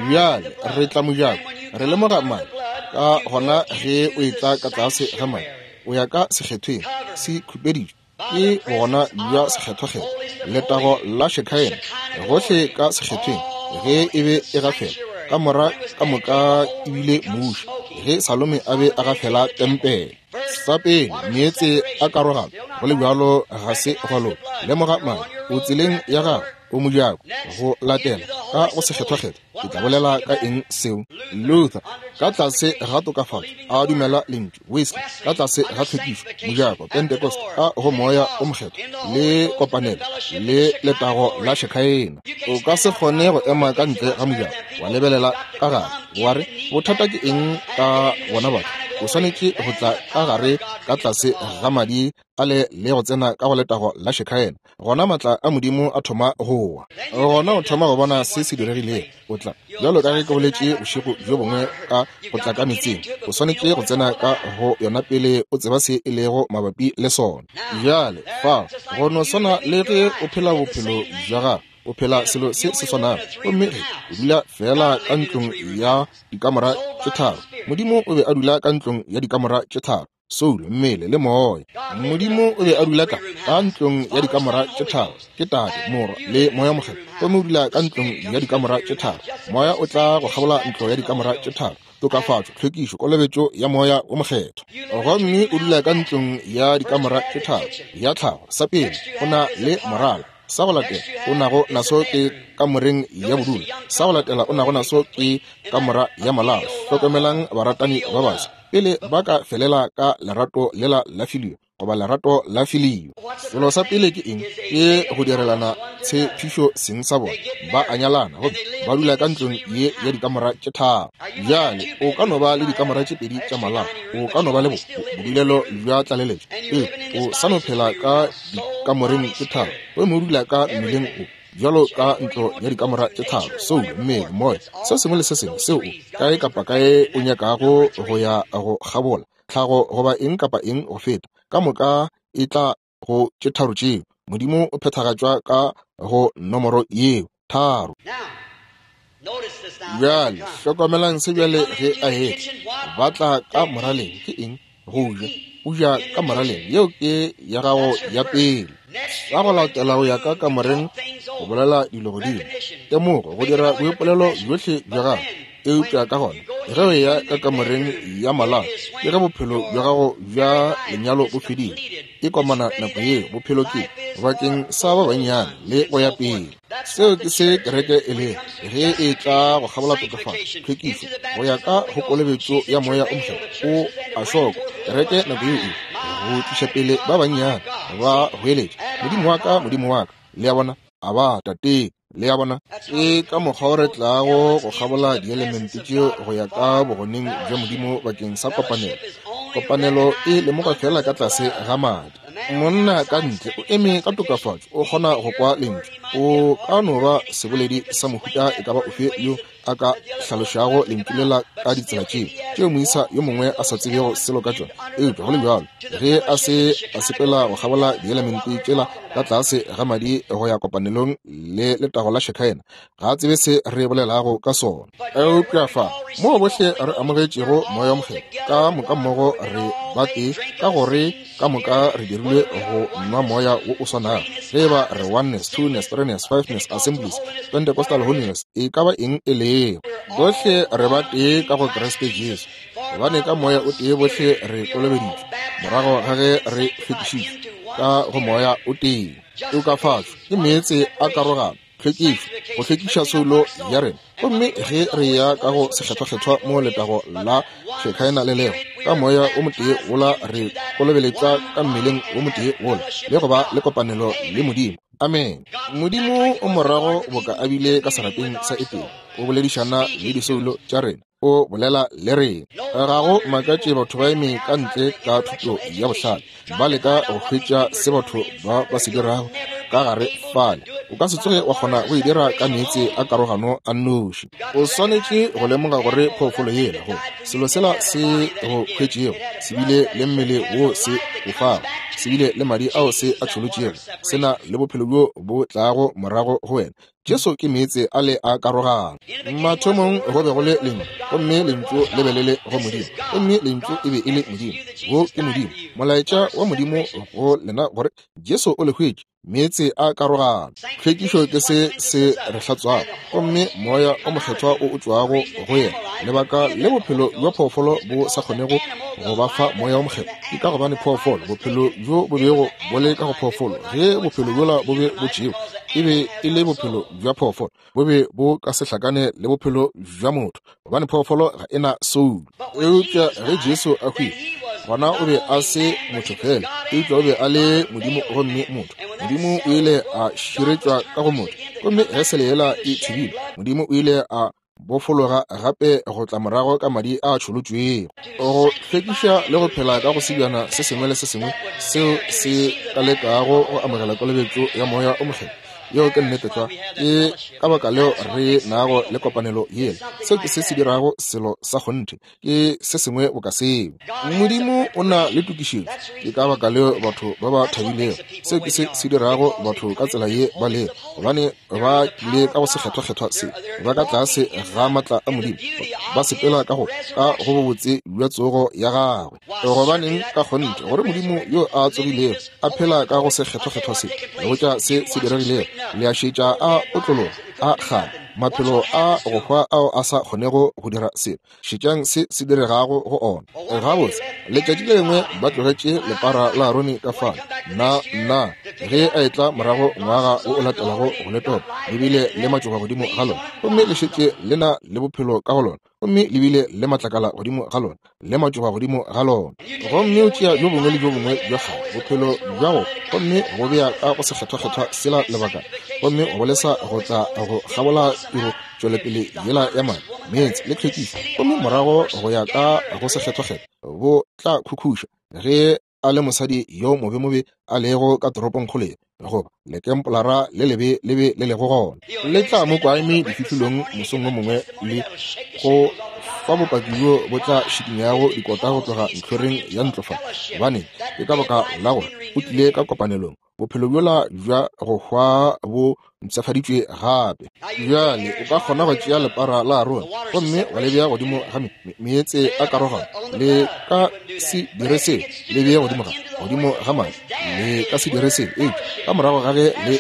Bjale re tla mojako, re lemoga madi. Ka gona ge o etla ka tlase ga madi, o ya ka sekgethweng, se khupeditšwe ke bogona bja sekgethwakgethwa, letago la Shekinah gohle ka sekgethweng. Ge e be e gafela kamora ka moka e bile muši ge Salome a be a gafela tempele. Sa pele, meetse a karogano, go le bjalo ga se gwa loka. Lemoga madi, o tseleng ya gago, o mojako, go latela ka go sekgethwakgethwa. Ke tla bolela ka eng seo? Luther, ka tlase ga tokafatšo, a dumela lentšu. Wesley, ka tlase ga tlhwekišo, mojako. Pentecost, ka go Moya o Mokgethwa, le kopanelo, le letago la Shekinah. O ka se kgone go ema ka ntle ga mojako, wa lebelela ka gare, wa re, Bothata ke eng ka bona batho? O swanetše go tla ka gare ka tlase ga madi a le le go tsena ka go letago la Shekinah. Gona maatla a Modimo a thoma go wa. Gona o thoma go bona se se diregilego. O tla, bjalo ka ge ke boletše bošego bjo bongwe ka go tla ka metsing, o swanetše go tsena ka go yona pele o tseba se e lego mabapi le sona. Bjale, fao, go no swana le ge o phela bophelo bja gago, o phela selo se se swanago. Gomme ge o dula feela ka ntlong ya dikamora tše tharo, Modimo o be a dula ka ntlong ya dikamora tše tharo, soulo, mmele le moya. Modimo o be a dula ka ka ntlong ya dikamora tše tharo, ke Tate, Morwa le Moya Mokgethwa. Gomme o dula ka ntlong ya dikamora tše tharo. Moya o tla go kgabola ntlo ya dikamora tše tharo, tokafatšo, tlhwekišo, kolobetšo ya Moya wo Mokgethwa. Gomme o dula ka ntlong ya dikamora tše tharo ya tlhago. Sa pele, o na le morala. Sa go latela o nago naso ke kamoreng ya bodulo. Sa go latela o nago naso ke kamora ya molao. Hlokomelang baratani ba baswa pele ba ka felela ka lerato lela la filio goba lerato la filio. Selo sa pele ke eng? Ke go direlana tshepišo seng sa bona. Ba a nyalana gomme ba dula ka ntlong ye ya dikamora tše tharo. Bjale o ka no ba le dikamora tše pedi tša malao, o ka no ba le bodulelo bja tlaleletšo, ee, o sa no phela ka dikamoreng tše tharo gomme o dula ka mmeleng o. Bjalo ka ntlo ya dikamora tše tharo, soulo, mmele, moya, se sengwe le se sengwe seo o, kae kapa kae o nyakago go ya go kgabola, tlhago goba eng kapa eng go feta, ka moka e tla go tše tharo tšeo. Modimo o phethagatšwa ka go nomoro yeo, tharo. Bjale, hlokomelang se bjale ge a etla. Ba tla ka moraleng. Ke eng? Go ja. O ja ka moraleng. Yeo ke ya gago ya pele. Sa go latela o ya ka kamoreng go bolela dilo godimo. Temogo, go dira boipolelo bjohle bja gago. Eupša ka gona ge o eya ka kamoreng ya malao, ke ge bophelo bja gago bja lenyalo bo fedile. E komana nako yeo. Bophelo ke bakeng sa ba bannyane le go ya pele. Seo ke se kereke e lego ge e tla go kgabola tokafatšo, tlhwekišo, go ya ka go kolobetšo ya Moya o Mokgethwa. O a šokwa. Kereke nako yeo e go tliša pele ba bannyane, ba goeletša, Modimo wa ka, Modimo wa ka. Le a bona? A ba Tate. Le a bona? Ke ka mokgwa o re tlago go kgabola dielemente tšeo go ya ka bogoneng bja Modimo bakeng sa kopanelo. Kopanelo e lemogwa feela ka tlase ga madi. Monna ka ntle o eme ka tokafatšo, o kgona go kwa lentšu. O ka no ba seboledi sa mohuta e ka ba ofe yo a ka hlalošago lentšu lela ka ditsela tšeo, tšeo moisa yo mongwe a sa tsebego selo ka tšona. Eupša go le bjalo, ge a se a sepela go kgabola dielemente tšela ka tlase ga madi go ya kopanelong le letago la Shekinah, ga a tsebe se re bolelago ka sona. Eupša fa, moo bohle re amogetšego Moya wo Mokgethwa, ka moka mmogo re batee, ka gore ka moka re dirilwe go nwa Moya wo o swanago. Ge e ba re Oneness, Twoness, Threeness, Fiveness, Assemblies, Pentecostal Holiness, e ka ba eng e lego, bohle re batee ka go Kriste Jesu, gobane ka Moya o tee bohle re kolobeditšwe, morago ga ge re hlwekišitšwe ka go Moya o tee. Tokafatšo ke meetse a karogano, tlhwekišo, go hlwekiša soulo ya rena. Gomme ge re ya ka go Sekgethwakgethwa mo letago la Shekinah le lego, ka Moya o motee wola re kolobeletšwa ka mmeleng wo motee wola, le go ba le kopanelo le Modimo. Amene. Modimo o morago boka a bile ka serapeng sa Etene, o boledišana le disoulo tša rena, o bolela le rena. Ga go makatše batho ba eme ka ntle ka thuto ya bohlale, ba leka go hwetša se batho ba ba se dirago ka gare fale. O ka se tsoge wa kgona go e dira ka meetse a karogano a nnoši. O swanetše go lemoga gore phoofolo yela, go selo sela se go hwetšego, se bile le mmele wo se o fago, se bile le madi ao se a tšholotšego, se na le bophelo bjo bo tlago morago go wena. Jesu ke meetse a le a karogano. Mathomong go be go le Lentšu, gomme Lentšu le be le le go Modimo, gomme Lentšu e be e le Modimo. Wo ke Modimo, molaetša wa Modimo go lena gore Jesu o le hwetše, meetse a karogano. Tlhwekišo ke se se re hlatswago, gomme Moya o Mokgethwa o o tšwago go yena. Lebaka le bophelo bja phoofolo bo sa kgonego go ba fa Moya o Mokgethwa ke ka gobane phoofolo, bophelo bjo bo bego bo le ka go phoofolo, ge bophelo bjola bo be bo tšewa, e be e le bophelo bja phoofolo, bo be bo ka se hlakane le bophelo bja motho, gobane phoofolo ga e na soulo. Eupša ge Jesu a hwile, gona o be a se motho fela, eupša o be a le Modimo gomme motho. Modimo o ile a širetšwa ka go motho, gomme ge sele yela e thubile, Modimo o ile a bofologa gape go tla morago ka madi a tšholotšwego go hlwekiša le go phela ka go sebjana se sengwe le se sengwe seo se ka lekago go amogela kolobetšo ya Moya o Mokgethwa. Yeo ke nnete tlwa. Ke ka baka leo re nago le kopanelo yela. Seo ke se se dirago selo sa kgonthe, ke se sengwe boka seo. Modimo o na le tokišetšo. Ke ka baka leo batho ba ba thabilego. Seo ke se se dirago batho ka tsela ye ba lego, gobane ba tlile ka go sekgethwakgethwa se, ba ka tlase ga maatla a Modimo, ba sepela ka go ka go bobotse bja tsogo ya gagwe. Gobaneng, ka kgonthe, gore Modimo yo a tsogilego a phela ka go sekgethwakgethwa se, le botša se se diregilego, le a šetša a otlologa, a kgale, maphelo a go hwa ao a sa kgonego go dira selo. Šetšang se se diregago go ona. Gabotse, letšatši le lengwe ba tlogetše lepara la Arone ka fale. Nna, nna, ge a etla morago ngwaga wo o latelago go le topa, le bile le matšoba godimo ga lona, gomme le šetše le na le bophelo ka go lona, gomme le bile le matlakala godimo ga lona, le matšoba godimo ga lona. Gomme o tšea bjo bongwe le bjo bongwe bja kgale, bophelo bja go, gomme go bea ka go sekgethwakgethwa sela lebakana, gomme go bolesa go tla go kgabola tiro tšwelopele yela ya madi, meetse le tlhwekišo, gomme morago go ya ka go sekgethwakgethwa, bo tla khukhuša ge. a le mosadi yo mobemobe a lego ka toropongkgolo ye, goba lekempolara le lebe le be le lego gona, le tla mo kwa eme difihlolong mosong wo mongwe le go fa bopaki bjo bo tla šikinyago dikota go tloga ntlhoreng ya ntlo fa. Gobane ke ka baka la gore o tlile ka kopanelong, bophelo bjola bja go hwa bo mpshafaditšwe gape. Bjale o ka kgona go tšea lepara la Arone gomme wa le bea godimo ga meetse a karogano. Le ka se dire seo. Le bee godimo ga godimo ga madi. Le ka se dire seo. Eupša ka morago ga ge le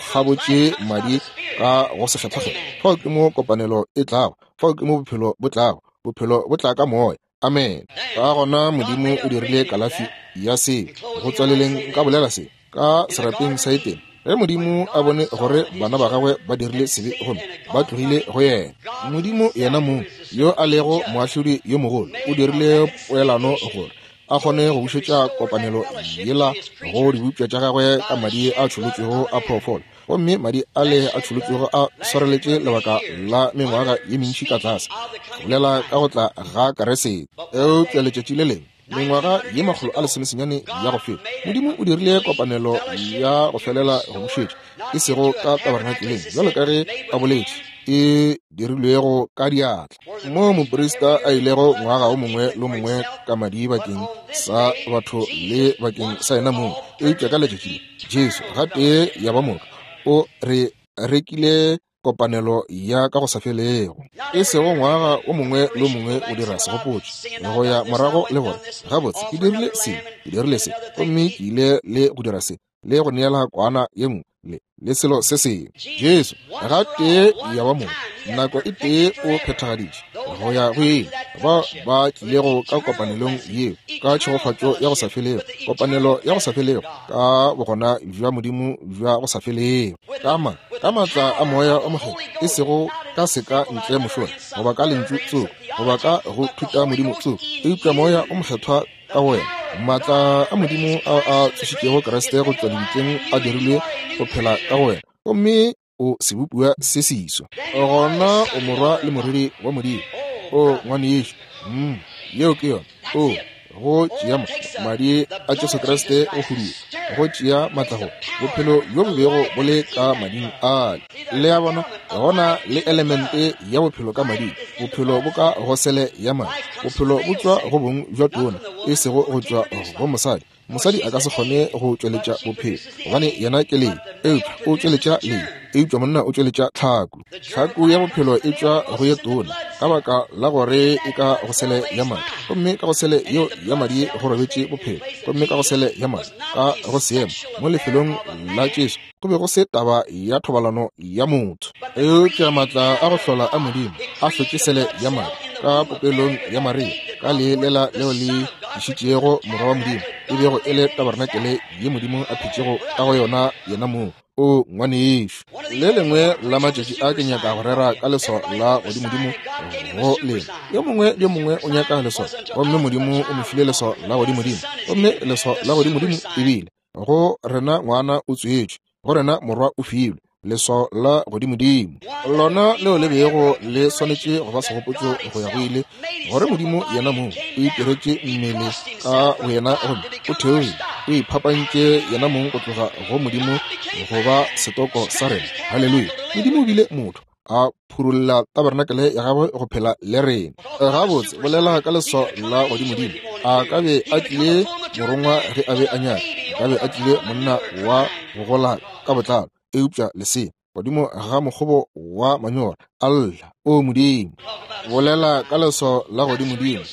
kgabotše madi ka go sekgethwakgethwa, fao ke mo kopanelo e tlago, fao ke mo bophelo bo tlago. Bophelo bo tla ka Moya. Amen. Ka gona Modimo o dirile kalafi ya seo. Go tswaleleng nka bolela se ka serapeng sa Etene, ge Modimo a bone gore bana ba gagwe ba dirile sebe gomme ba tlogile go yena, Modimo yena mong yo a lego moahlodi yo mogolo o dirile poelano gore a kgone go bušetša kopanelo yela go dibopša tša gagwe ka madi a tšholotšwego a phoofolo. Gomme madi ale a tšholotšwego a swareletše lebaka la mengwaga ye mentši ka tlase, go bolela ka go tla ga Keresete. Eupša letšatši le lengwe, mengwaga ye 119 ya go feta, Modimo o dirile kopanelo ya go felela go bušetša, e sego ka tabernakeleng, bjalo ka ge a boletše, e dirilwego ka diatla, moo moprista a ilego ngwaga o mongwe le mongwe ka madi bakeng sa batho le bakeng sa yena mong. Eupša ka letšatši le, Jesu gatee ya ba moka o re rekile kopanelo ya ka go sa felego, e sego ngwaga o mongwe le o mongwe o dira segopotšo go ya morago le gore gabotse ke dirile se, ke dirile se, gomme ke ile le go dira se le go neela kwana ye nngwe le le selo se sengwe. Jesu gatee ya ba moka nako e tee o phethagaditše go ya go ile ba ba tlilego ka kopanelong yeo ka tšhegofatšo ya go sa felego, kopanelo ya go sa felego ka bogona bja Modimo bja go sa felego, ka ma ka maatla a Moya o Mokgethwa, e sego ka seka ntle mošola goba ka lentšu tsoko goba ka go thuta Modimo tsoko, eupša Moya o Mokgethwa ka go wena. Maatla a Modimo ao a tsošitšego Kriste go tšwa lebitleng a dirilwe go phela ka go wena, gomme o sebopiwa se seswa. Gona o morwa le morwedi wa Modimo. O ngwanešu, mm, yeo ke yona. O go tšea madi a Jesu Kriste go huduwa, go tšea maatla go bophelo bjo bo bego bo le ka mading ale. Le a bona, gona le elemente ya bophelo ka mading. Bophelo bo ka go sele ya madi. Bophelo bo tšwa go bong bja tona, e sego go tšwa go mosadi. Mosadi a ka se kgone go tšweletša bophelo, gobane yena ke lee, eupša o tšweletša lee, eupša monna o tšweletša tlhaku. Tlhaku ya bophelo e tšwa go ye tona, ka baka la gore e ka go sele ya madi, gomme ka go sele yeo ya madi go robetše bophelo, gomme ka go sele ya madi, ka go seemo mo lefelong la Jesu, go be go se taba ya thobalano ya motho. Eupša maatla a go hlola a Modimo a hlotše sele ya madi ka popelong ya Maria, ka lee lela leo le tlišitšego Morwa wa Modimo, e bego e le tabarenakele ye Modimo a phetšego ka go yona yena mong. O ngwanešu, le lengwe la matšatši a ke nyaka go rera ka leswao la godimodimo go lena. Yo mongwe le yo mongwe o nyaka leswao, gomme Modimo o mo file leswao la godimodimo, gomme leswao la godimodimo e bile go rena ngwana o tswetšwe, go rena morwa o filwe, leswao la godimodimo, lona leo le bego le swanetše go ba segopotšo go ya go ile, gore Modimo yena mong o itiretše mmele ka boyena gomme o theogile, o iphapantše yena mong go tloga go Modimo go ba setoko sa rena. Haleluya! Modimo o bile motho, a phurulla tabernacle ya gagwe go phela le rena. Gabotse, bolela ka leswao la godimodimo. A ka be a tlile morongwa ge a be a nyaka, a ka be a tlile monna wa go gola ka botlalo, eupša lesea godimo ga mokgobo wa manyora a lla, O Modimo! Bolela ka leswao la godimodimo.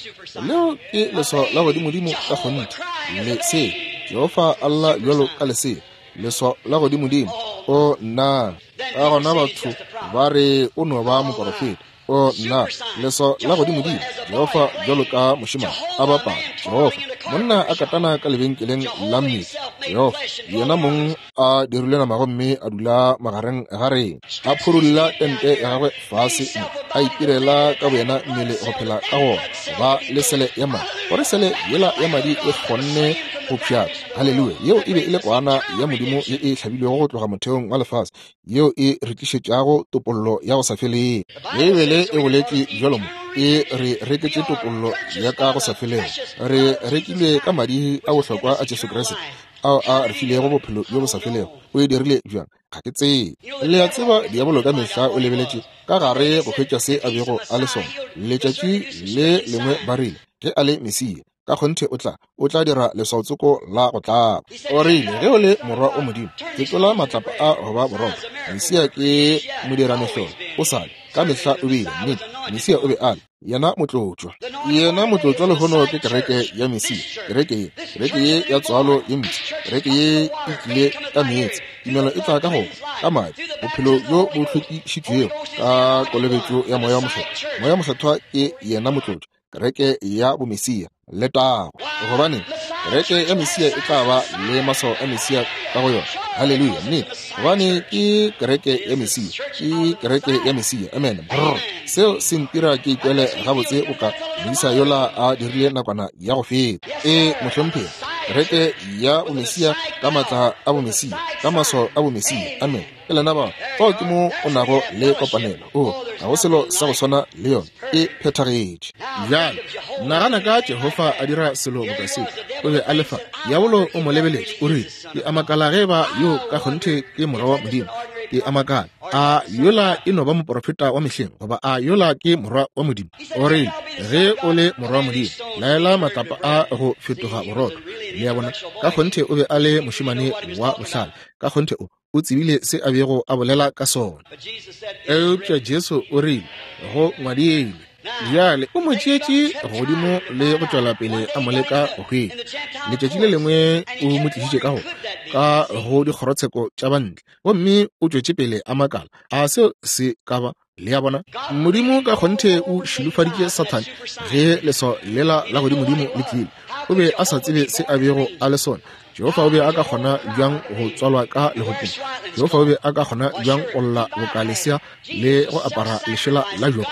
Leo ke leswao la godimodimo ka kgonthe. Lesea, Jehofa a lla bjalo ka lesea, leswao la godimodimo. O nna! Ka gona batho ba re o no ba moporofeta. O nna, leswao la godimodimo, Jehofa bjalo ka mošemane a bapala, Jehofa, monna a katana ka lebenkeleng la mmele, Jehofa yena mong a dirile nama gomme a dula magareng ga rena, a phurulla tente ya gagwe fase, a itirela ka boyena mmele go phela ka gona, ba le sele ya madi, gore sele yela ya madi e kgonne go pšhatla. Haleluya! Yeo e be e le kwana ya Modimo ye e hlabilwego go tloga motheong wa lefase, yeo e re tlišetšago topollo ya go sa felego. Beibele Ge e boletše bjalo mo, e re reketše topollo ya ka go sa felego. Re rekilwe ka madi a bohlokwa a Jesu Kriste, ao a re filego bophelo bjo bo sa felego. O e dirile bjang? Ga ke tsebe. Le a tseba, diabolo ka mehla o lebeletše ka gare go hwetša se a bego a le sona. Letšatši le lengwe ba rile, ge a le Mesia, ka kgonthe o tla, o tla dira leswaotsoko la go tlaba. O rile, ge o le morwa o Modimo, fetola matlapa a go ba borotho. Mesia ke modiramehlolo. O sa le, ka mehla o bile, nnete. Mesia o be a le yena motlotšwa. Yena motlotšwa lehono ke kereke ya Mesia, kereke ye, kereke ye ya tswalo ye mpsha, kereke ye e tlile ka meetse. Tumelo e tla ka go ka madi, bophelo bjo bo hlwekišitšwego ka kolobetšo ya Moya wo Mokgethwa. Moya wo Mokgethwa ke yena motlotšwa, kereke ya bomesia. Letago! Gobane kereke ya Mesia e tla ba le maswao a Mesia ka go yona. Haleluya! Nnete, gobane ke kereke ya Mesia, ke kereke ya Mesia. Amen. Brr. Seo se ntira ke ikwele gabotse boka moisa yola a dirile nakwana ya go feta. Ee, mohlomphegi, kereke ya bomesia ka maatla a bomesia, ka maswao a bomesia. Amen. Ke lena bao. Fao ke mo o nago le kopanelo. O, ga go selo sa go swana le yona. E phethagetše. Bjale, nagana ka Jehofa a dira selo boka se. O be a le fa. Diabolo o mo lebeletše, o rile, Ke a makala ge eba yo ka kgonthe ke Morwa wa Modimo. Ke a makala. A yola e no ba moprofeta wa mehleng, goba a yola ke Morwa wa Modimo? O rile, Ge o le Morwa wa Modimo, laela matlapa a go fetoga borotho. Le a bona? Ka kgonthe o be a le mošemane wa bohlale. Ka kgonthe o, o tsebile se a bego a bolela ka sona. Eupša Jesu o rile, Go ngwadilwe. Bjale o mo tšeetše godimo le go tšwela pele a mo leka go hwetša. Letšatši le lengwe o mo tlišitše ka go ka go dikgorotsheko tša bantle, gomme o tšwetše pele a makala. A seo se ka ba? Le a bona? Modimo ka kgonthe o šilofaditše Sathane ge leswao lela la godimodimo le tlile. O be a sa tsebe se a bego a le sona. Jehofa o be a ka kgona bjang go tswalwa ka legopong? Jehofa o be a ka kgona bjang go lla boka lesea le go apara lešela la joko?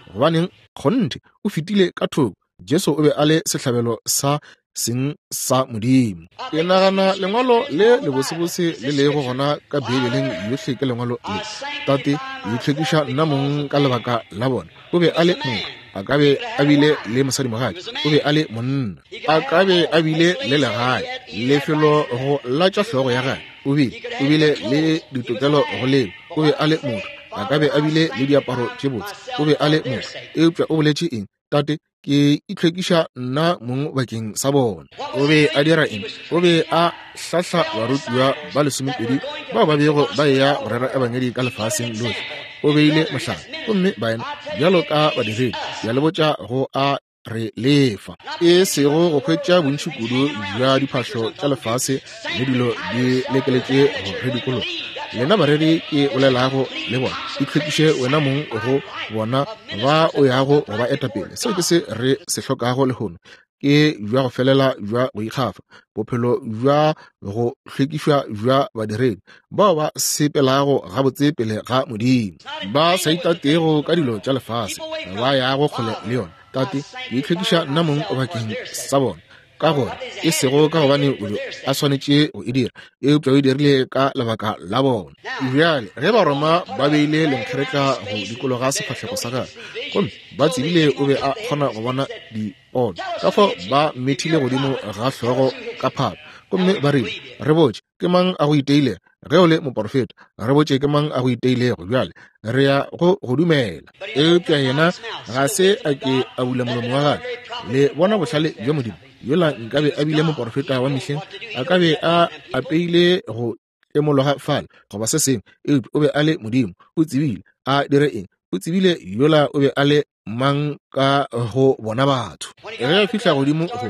Gobaneng, kgonthe, o fetile ka thoko. Jesu o be a le sehlabelo sa seng sa Modimo. Ke nagana lengwalo le lebosebose le lego gona ka Beibeleng yohle ke lengwalo le, Tate, ke itlhwekiša nna mong ka lebaka la bona. O be a le motho, a ka be a bile le mosadimogatša, o be a le monna, a ka be a bile le legae, lefelo go latša hlogo ya gagwe, o bile, o bile le ditokelo go leo, o be a le motho, a ka be a bile le diaparo tše botse, o be a le motho, eupša o boletše eng? Tate, ke itlhwekiša nna mong bakeng sa bona. O be a dira eng? O be a hlahla barutiwa ba lesomepedi bao ba bego ba eya go rera ebangedi ka lefaseng lohle. O beile mohlala, gomme baena bjalo ka badiredi, ke a le botša, go a re lefa, e sego go hwetša bontši kudu bja diphahlo tša lefase le dilo di lekeletše go re dikologa. Lena bareri ke bolelago le bona, itlhwekiše wena mong go bona ba o yago go ba eta pele. Seo ke se re se hlokago lehono, ke bja go felela bja go ikgafa, bophelo bja go hlwekišwa bja badiredi bao ba sepelago gabotse pele ga Modimo, ba sa itatego ka dilo tša lefase, ba yago kgole le yona. Tate, ke itlhwekiša nna mong bakeng sa bona, ka gore e sego ka gobane o be a swanetše go e dira, eupša o e dirile ka lebaka la bona. Bjale ge Baroma ba beile lenkgeretla go dikologa sefahlego sa gagwe, gomme ba tsebile o be a kgona go bona dipono, ka fao ba mmethile godimo ga hlogo ka phata, gomme ba rile, Re botše, ke mang a go iteilego? Ge o le moporofeta, re botše ke mang a go iteilego. Bjale re ya go go dumela. Eupša yena ga se a ke a bula molomo wa gagwe. Le bona bohlale bja Modimo? Yola nkabe a bile moporofeta wa mehleng, a ka be a apeile go tlemologa fale goba se sengwe. Eupša o be a le Modimo. O tsebile a dire eng. O tsebile yola o be a le mang ka go bona batho. Ge a fihla godimo go,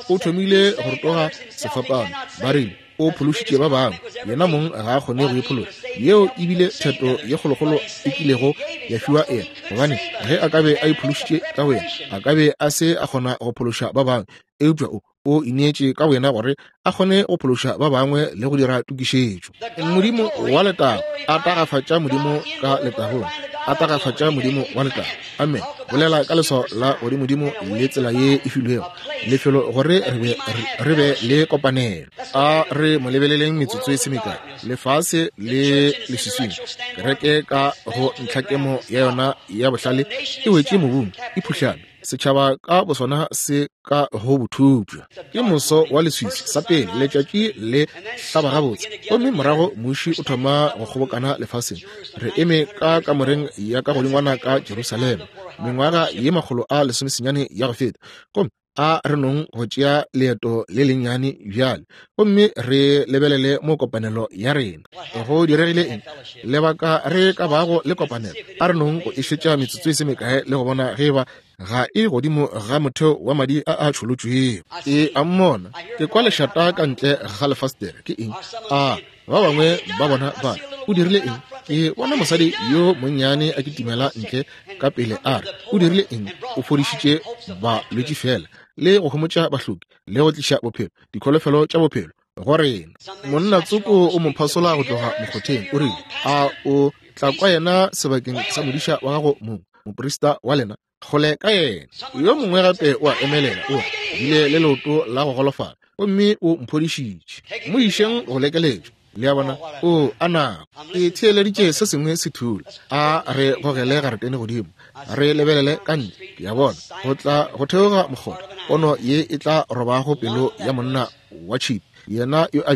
o thomile go rotoga sefapano. Ba rile, O phološitše ba bangwe, yena mong ga a kgone go iphološa. Yeo e bile theto ye kgolokgolo e kilego ya fiwa yena, gobane ge a ka be a iphološitše ka boyena, a ka be a se a kgona go phološa ba bangwe. Eupša o. O ineetše ka boyena gore a kgone go phološa ba bangwe le go dira tokišetšo. Modimo wa letago a tagafatša Modimo ka letagong, a tagafatša Modimo wa letago. Amen. Bolela ka leswao la godimodimo le tsela ye e filwego lefelo gore re be le kopanelo. A re mo lebeleleng metsotso e se mekae. Lefase le leswiswing, kereke ka go ntlhakemo ya yona ya bohlale e wetše mobung, e phuhlame. Setšhaba ka bosona se ka go bothupša. Ke moso wa leswiswi, sa pele letšatši le hlaba gabotse, gomme morago muši o thoma go kgobokana lefaseng. Re eme ka kamoreng ya ka godingwana ka Jerusalema mengwaga ye 190 ya go feta, gomme a re nong go tšea leeto le lennyane bjale gomme re lebelele mo kopanelo ya rena. Go diregile eng? Lebaka re ka bago le kopanelo, a re nong go e šetša metsotso e se mekae le go bona ge eba ga e godimo ga motheo wa madi a a tšholotšwego. Ke a mmona, ke kwa lešata ka ntle ga lefastere. Ke eng? A ba bangwe ba bona ba o dirile eng? Ke bona mosadi yo monnyane a kitimela ntle ka pele, a re, O dirile eng? O fodišitše balwetši feela, le go homotša bahloki, le go tliša bophelo, dikholofelo tša bophelo go rena. Monna tsoko o mo phasola go tloga mokgotheng, o rile, A o tla kwa yena sebakeng sa modiša wa gago mong, moprista wa lena? Kgole ka yena. Yo mongwe gape o a emelela, o re, Bile le leoto la go golofala, gomme o mphodišitše. Mo išeng go lekeletšwa. Le a bona? O a nako. Ke theeleditše se sengwe se thula. A re gogele garetene godimo, re lebelele ka ntle. Ke a bona go tla go theoga mokgotha, pono ye e tla robago pelo ya monna wa tšhipi, yena yo a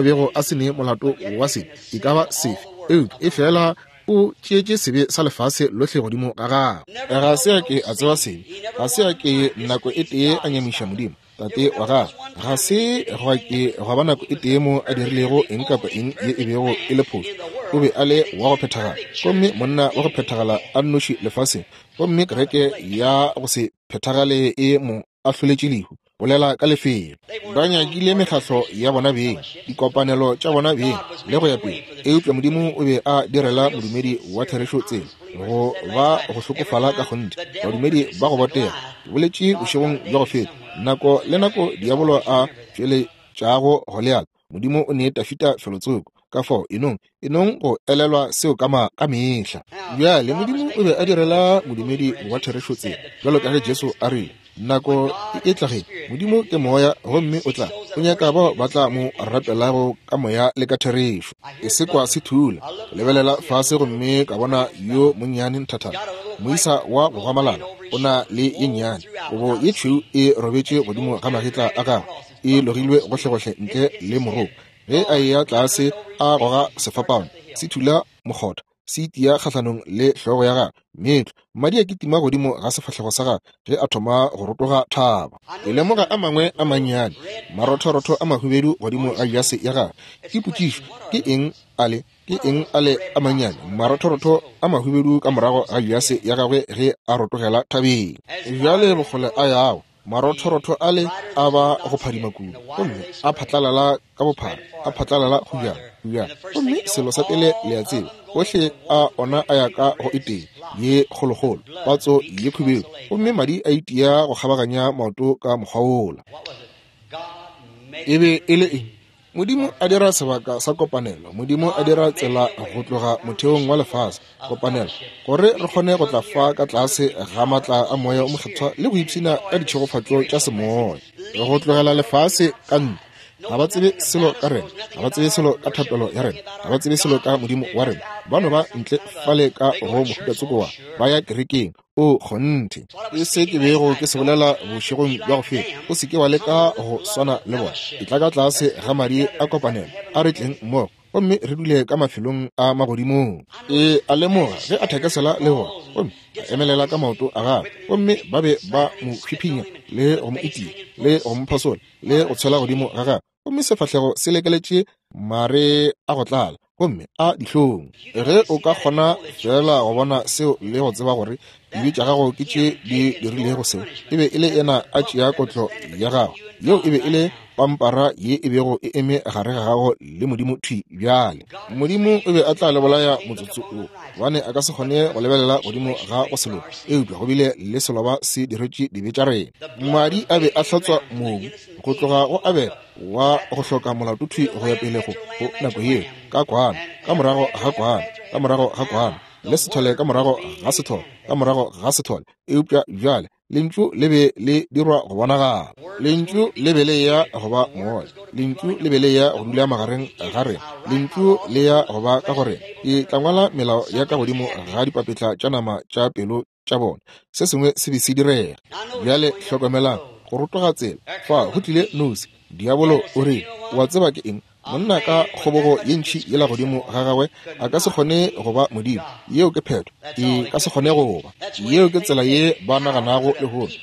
bego a se ne molato wa sebe e ka ba sefe, eupša e fela o tšeetše sebe sa lefase lohle godimo ga gagwe. Ga se a ke a tseba sebe, ga se a ke nako e tee a nyamiša Modimo Tate wa gagwe. Ga se gwa ke gwa ba nako e tee mo a dirilego eng kapa eng ye e bego e le phošo. O be a le wa go phethagala, gomme monna wa go phethagala a nnoši lefaseng, gomme kereke ya go se phethagale e mo ahloletše lehu. Bolela ka lefelo. Ba nyakile mekgahlo ya bona beng, dikopanelo tša bona beng, le go ya pele. Eupša Modimo o be a direla modumedi wa therešo tsela, go ba go hlokofala ka kgonthe, badumedi ba go botega. Ke boletše bošegong bja go feta, nako le nako diabolo a tšweletšago Goliath, Modimo o ne Dafida felotsoko. Ka fao, enong, enong go elelwa seo ka, ma, ka mehla. Bjale, Modimo o be a direla modumedi wa therešo tsela, bjalo ka ge Jesu a rile, Nako e etla ge Modimo ke Moya, gomme o tla, o nyaka bao ba tla mo rapelago ka Moya le ka therešo. Ke se kwa se thula, ke lebelela fase gomme ka bona yo monnyane nthathana, moisa wa go gwamalala, o na le ye nnyane, kobo ye tšhweu e robetše godimo ga magetla a gagwe, e logilwe gohlegohle ntle le moroko. Ge a eya tlase a goga sefapano, se thula mokgotha, se itia kgahlanong le hlogo ya gagwe, meetlo, madi a kitima godimo ga sefahlego sa gagwe ge a thoma go rotoga thaba. Ke lemoga a mangwe a mannyane, marothorotho a mahubedu godimo ga jase ya gagwe. Ke potšišo, ke eng a le? Ke eng a le a mannyane, marothorotho a mahubedu ka morago ga jase ya gagwe ge a rotogela thabeng? Bjale bokgole a yago, marothorotho ale a ba go phadima kudu, gomme a phatlalala ka bophara, a phatlalala go bjang, go bjang. Gomme selo sa pele le a tseba, ohle a ona a ya ka go e tee ye kgolokgolo, patso ye khubedu, gomme madi a itia go kgabaganya maoto ka mokgwa wola. E be e le eng? Modimo a dira sebaka sa kopanelo. Modimo a dira tsela go tloga motheong wa lefase, kopanelo, gore re kgone go tla fa ka tlase ga matla a Moya o Mokgethwa le go ipshina ka ditšhegofatšo tša semoya. Go tlogela lefase ka ntle. Ga ba tsebe selo ka rena, ga ba tsebe selo ka thapelo ya rena, ga ba tsebe selo ka Modimo wa rena. Ba no ba ntle fale ka go mohuta tsoko wa, ba ya kerekeng. O kgonthe. Ke se ke bego ke se bolela bošegong bja go feta. O se ke wa leka go swana le bona. Etla ka tlase ga madi a kopanelo. A re tleng mmogo gomme re dule ka mafelong a magodimong. E a lemoga ge a thekesela le bona, gomme a emelela ka maoto a gagwe, gomme ba be ba mo hwiphinya le go mo itia le go mo phasola le go tshwela godimo ga gagwe, gomme sefahlego se lekeletše mare a go tlala gomme a dihlong. Ge o ka kgona feela go bona seo le go tseba gore dibe tša gago ke tše di dirilego seo, e be e le yena a tšea kotlo ya gago. Yeo e be e le. Pampara ye e bego e eme gare ga gago le Modimo thwi bjale. Modimo o be a tla le bolaya motsotso wo, gobane a ka se kgone go lebelela godimo ga go se loke. Eupša go bile le seloba se diretše dibe tša rena. Madi a be a hlatswa mobu go tloga go Abele wa go hloka molato thwi go ya pele go nako yeo, ka kwana, ka morago ga kwana, ka morago ga kwana, le sethole ka morago ga sethole, ka morago ga sethole. Eupša bjale Lentšu le be le dirwa go bonagala. Lentšu le be le ya go ba moya. Lentšu le be le ya go dula magareng ga rena. Lentšu le ya go ba ka go rena. Ke tla ngwala melao ya ka godimo ga dipapetla tša nama tša pelo tša bona. Se sengwe se be se direga. Bjale hlokomelang, go rotoga tsela. Fa go tlile nosi. Diabolo o rile, Wa tseba ke eng? Monna ka kgobogo ye ntši yela godimo ga gagwe a ka se kgone go ba Modimo. Yeo ke phetho. E ka se kgone go ba. Yeo ke tsela ye ba naganago lehono.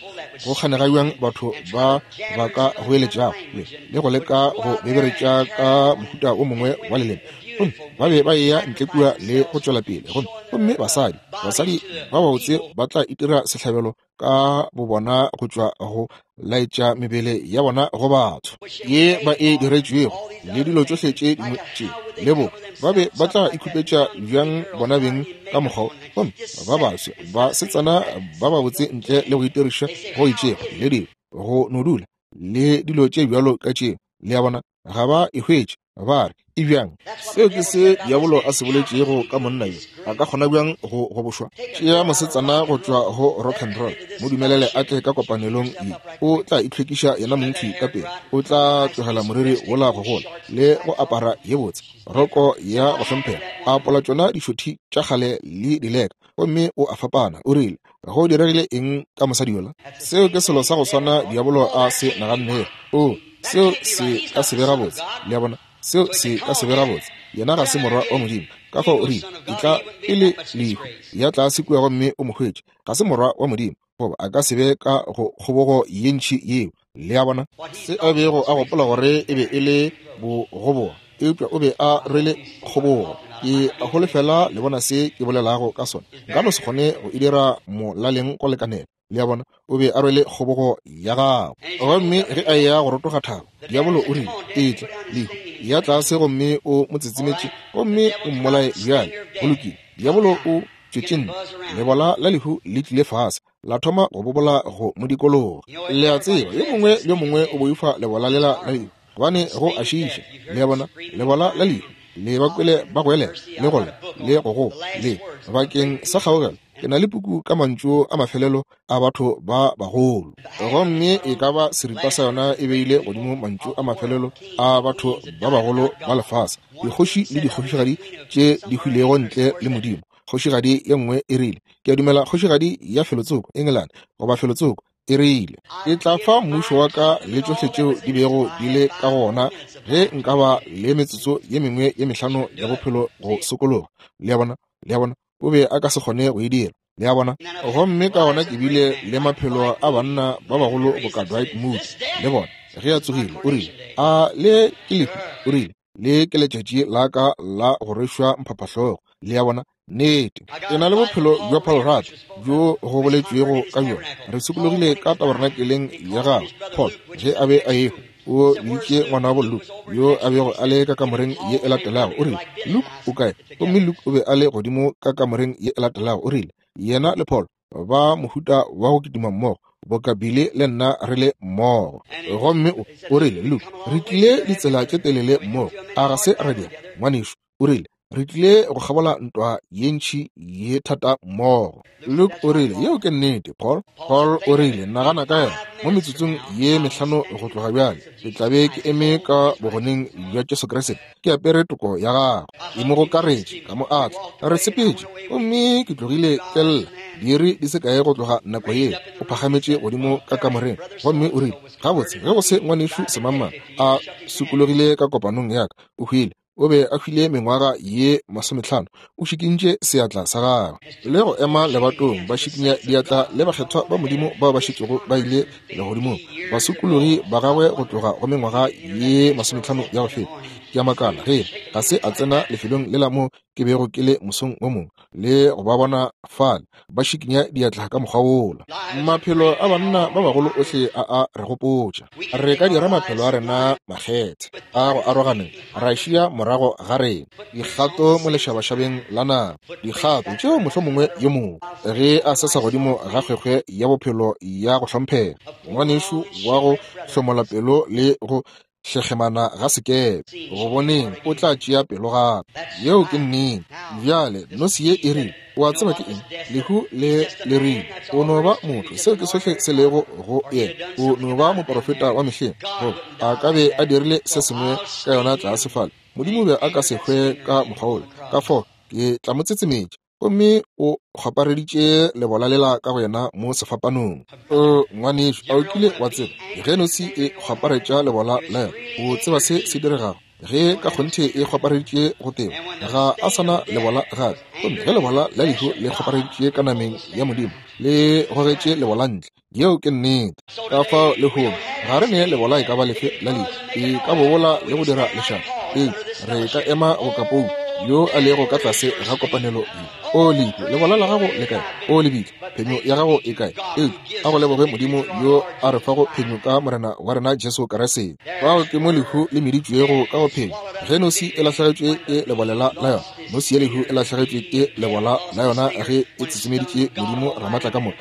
Go kganega bjang batho ba ba ka goeletšago le, le go leka go beberetša ka mohuta o mongwe wa leleme. Gomme ba be ba eya ntle kua le go tšwela pele. Gomme, gomme basadi, basadi ba babotse ba tla itira sehlabelo ka bobona go tšwa go laetša mebele ya bona go batho ye ba e diretšwego le dilo tšohle tše dingwe tše le bo ba be ba tla ikhupetša bjang bona beng ka mokgwa gomme ba baswe ba setsana ba babotse ntle le go itiriša go itšego le dilo go no dula le dilo tše bjalo ka tšeo le a bona ga ba e hwetše. Ba re, E bjang? Seo ke se diabolo a se boletšego ka monna yo. A ka kgona bjang go gobošwa? Tšea mosetsana go tšwa go rock and roll, mo dumelele a tle ka kopanelong ye. O tla itlhwekiša yena mong thwi ka pele. O tla tlogela moriri wola go gola, le go apara ye botse, roko ya go hlomphega, a apola tšona dišothi tša kgale le dileka, gomme o a fapana. O rile, Go diregile eng ka mosadi yola? Seo ke selo sa go swana diabolo a se nagannego. Oo, seo se ka se be gabotse. Le a bona? Seo se ka se be gabotse. Yena ga se morwa wa Modimo. Ka fao o rile, Etla pele lehu, ya tlase kua gomme o mo hwetše. Ga se morwa wa Modimo, goba a ka se be ka go kgobogo ye ntši yeo. Le a bona? Se a bego a gopola gore e be e le bogoboga, eupša o be a rwele kgobogo. Ke a holofela le bona se ke bolelago ka sona. Nka no se kgone go e dira molaleng go lekanela. Le a bona? O be a rwele kgobogo ya gagwe. Gomme ge a eya go rotoga thaba, diabolo o rile, Etla, lehu, ya tlase gomme o mo tsetsemetše gomme o mmolaye bjale. Go lokile. Diabolo o tšwetše ntle. Lebola la lehu le tlile fase. la thoma go bobola go mo dikologa. Le a tseba, yo mongwe le yo mongwe o boifa lebola lela la lehu, gobane go a šiiša. Le a bona, lebola la lehu, le ba kwele ba goelela, le go lla, le go goa, le bakeng sa kgaogelo. Ke na le puku ka mantšu a mafelelo a batho ba bagolo, gomme e ka ba seripa sa yona e beile godimo mantšu a mafelelo a batho ba bagolo ba lefase, dikgoši le dikgošigadi tše di hwilego ntle le Modimo. Kgošigadi ye nngwe e rile, Ke a dumela kgošigadi ya felotsoko, Engelane, goba felotsoko, e rile, Ke tla fa mmušo wa ka le tšohle tšeo di bego di le ka go wona ge nka ba le metsotso ye mengwe ye mehlano ya bophelo go sokologa. Le a bona? Le a bona? O be a ka se kgone go e dira. Le a bona? Gomme ka gona ke bile le maphelo a banna ba bagolo boka Dwight Moody le bona, ge a tsogile, o rile, A le ke lehu? O rile, Le ke letšatši la ka la go rwešwa mphaphahlogo. Le a bona? Nnete. Ke na le bophelo bja Paul Rudd bjo go boletšwego ka bjona. Re sokologile ka tabernakeleng ya gagwe. Paul, ge a be a ehwa, o biditše ngwanabo Luke, yo a bego a le ka kamoreng ye e latelago. O rile, Luke, o kae? Gomme Luke o be a le godimo ka kamoreng ye e latelago. O rile, Yena le Paul ba mohuta wa go kitima mmogo, boka Billy le nna re le mmogo. Gomme o, o rile, Luke, re tlile ditsela tše telele mmogo, a ga se ra dira, ngwanešu? O rile, Re tlile go kgabola ntwa ye ntši ye thata mmogo. Luke o rile, Yeo ke nnete, Paul. Paul o rile, Nagana ka yona, mo metsotsong ye mehlano go tloga bjale, ke tla be ke eme ka Bogoneng bja Jesu Kriste, ke apere toko ya gagwe. Ke mo gokaretše, ka mo atla. Re sepetše, gomme ke tlogile ke lla. Diiri di se kae go tloga nako yeo, o phagametše godimo ka kamoreng, gomme o rile, Gabotse, ge go se Ngwanešu Semangmang a sokologile ka kopanong ya ka, o hwile. O be a hwile mengwaga ye masomehlano. O šikintše seatla sa gagwe le go ema lebatong, ba šikinya diatla le bakgethwa ba Modimo bao ba šetšego ba ile legodimong, basokologi ba gagwe go tloga go mengwaga ye masomehlano ya go feta. Ke a makala ge ga se a tsena lefelong lela mo ke bego ke le mosong wo mongwe. le go ba bona fale ba šikinya diatla ka mokgwa wola. Maphelo a banna ba bagolo ohle a a re gopotša. Re ka dira maphelo a rena makgethe a go aroganeng, ra šia morago ga rena dikgato mo lešabašabeng la nama, dikgato tšeo mohlomongwe yo mongwe ge a sesa godimo ga kgwekgwe ya bophelo ya go hlomphega, ngwanešu wa go hlomola pelo le go hlekgemana ga sekepe, go boneng o tla tšea pelo gape. Yeo ke nnete. Bjale nosi ye e rile, o a tseba ke eng? Lehu le le rile, o no ba motho, seo ke sohle se lego go yena. O no ba moporofeta wa mehleng, goba a ka be a dirile se sengwe ka yona tlase fale. Modimo be a ka se hwe ka mokgwa wola. Ka fao ke tla mo tsetsemetša. Gomme o kgwapareditše lebola lela ka go yena mo sefapanong. O ngwanešu, a o kile wa tseba ge nosi e kgwaparetša lebola la yona, o tseba se se diregago? Ge ka kgonthe e kgwapareditše go teba, ga a sana lebola gape. Gomme ge lebola la lehu le kgwapareditše ka nameng ya Modimo, le gogetše lebola ntle. Yeo ke nnete. Ka fao lehono ga re ne lebola e ka ba lefe la lehu, e ka bobola le go dira lešata, eupša re ka ema go kapou yo a lego ka tlase ga kopanelo ye. O lehu, lebola la gago le kae? O lebitla, phenyo ya gago e kae? Eupša a go leboge Modimo yo a re fago phenyo ka Morena wa rena Jesu Kriste. Fao ke mo lehu le meditšwego ka go phenyo. Ge nosi e lahlegetšwe ke lebolela la yona, nosi ya lehu e lahlegetšwe ke lebola la yona ge e tsetsemeditše Modimo Ramatlakamoka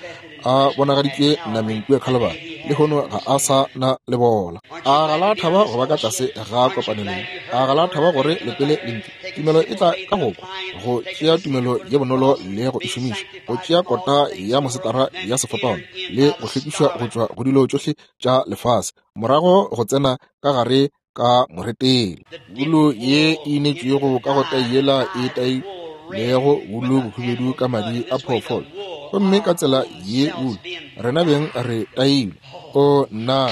a bonagaditšwe nameng kua Khalabari, lehono ga a sa na lebola. A ga la thaba go ba ka tlase ga kopanelo ye? A ga la thaba gore le pele lentšu? Tumelo e tla ka go kwa, go tšea tumelo ye bonolo le go e šomiša, go tšea kota ya mosetara ya sefapano le go hlwekišwa go tšwa go dilo tšohle tša lefase, morago go tsena ka gare ka moretele. Wulu ye e inetšwego ka go tai yela e tailego wulu bohubedu ka madi a phoofolo, gomme ka tsela ye wulu rena beng re tailwe. O nna,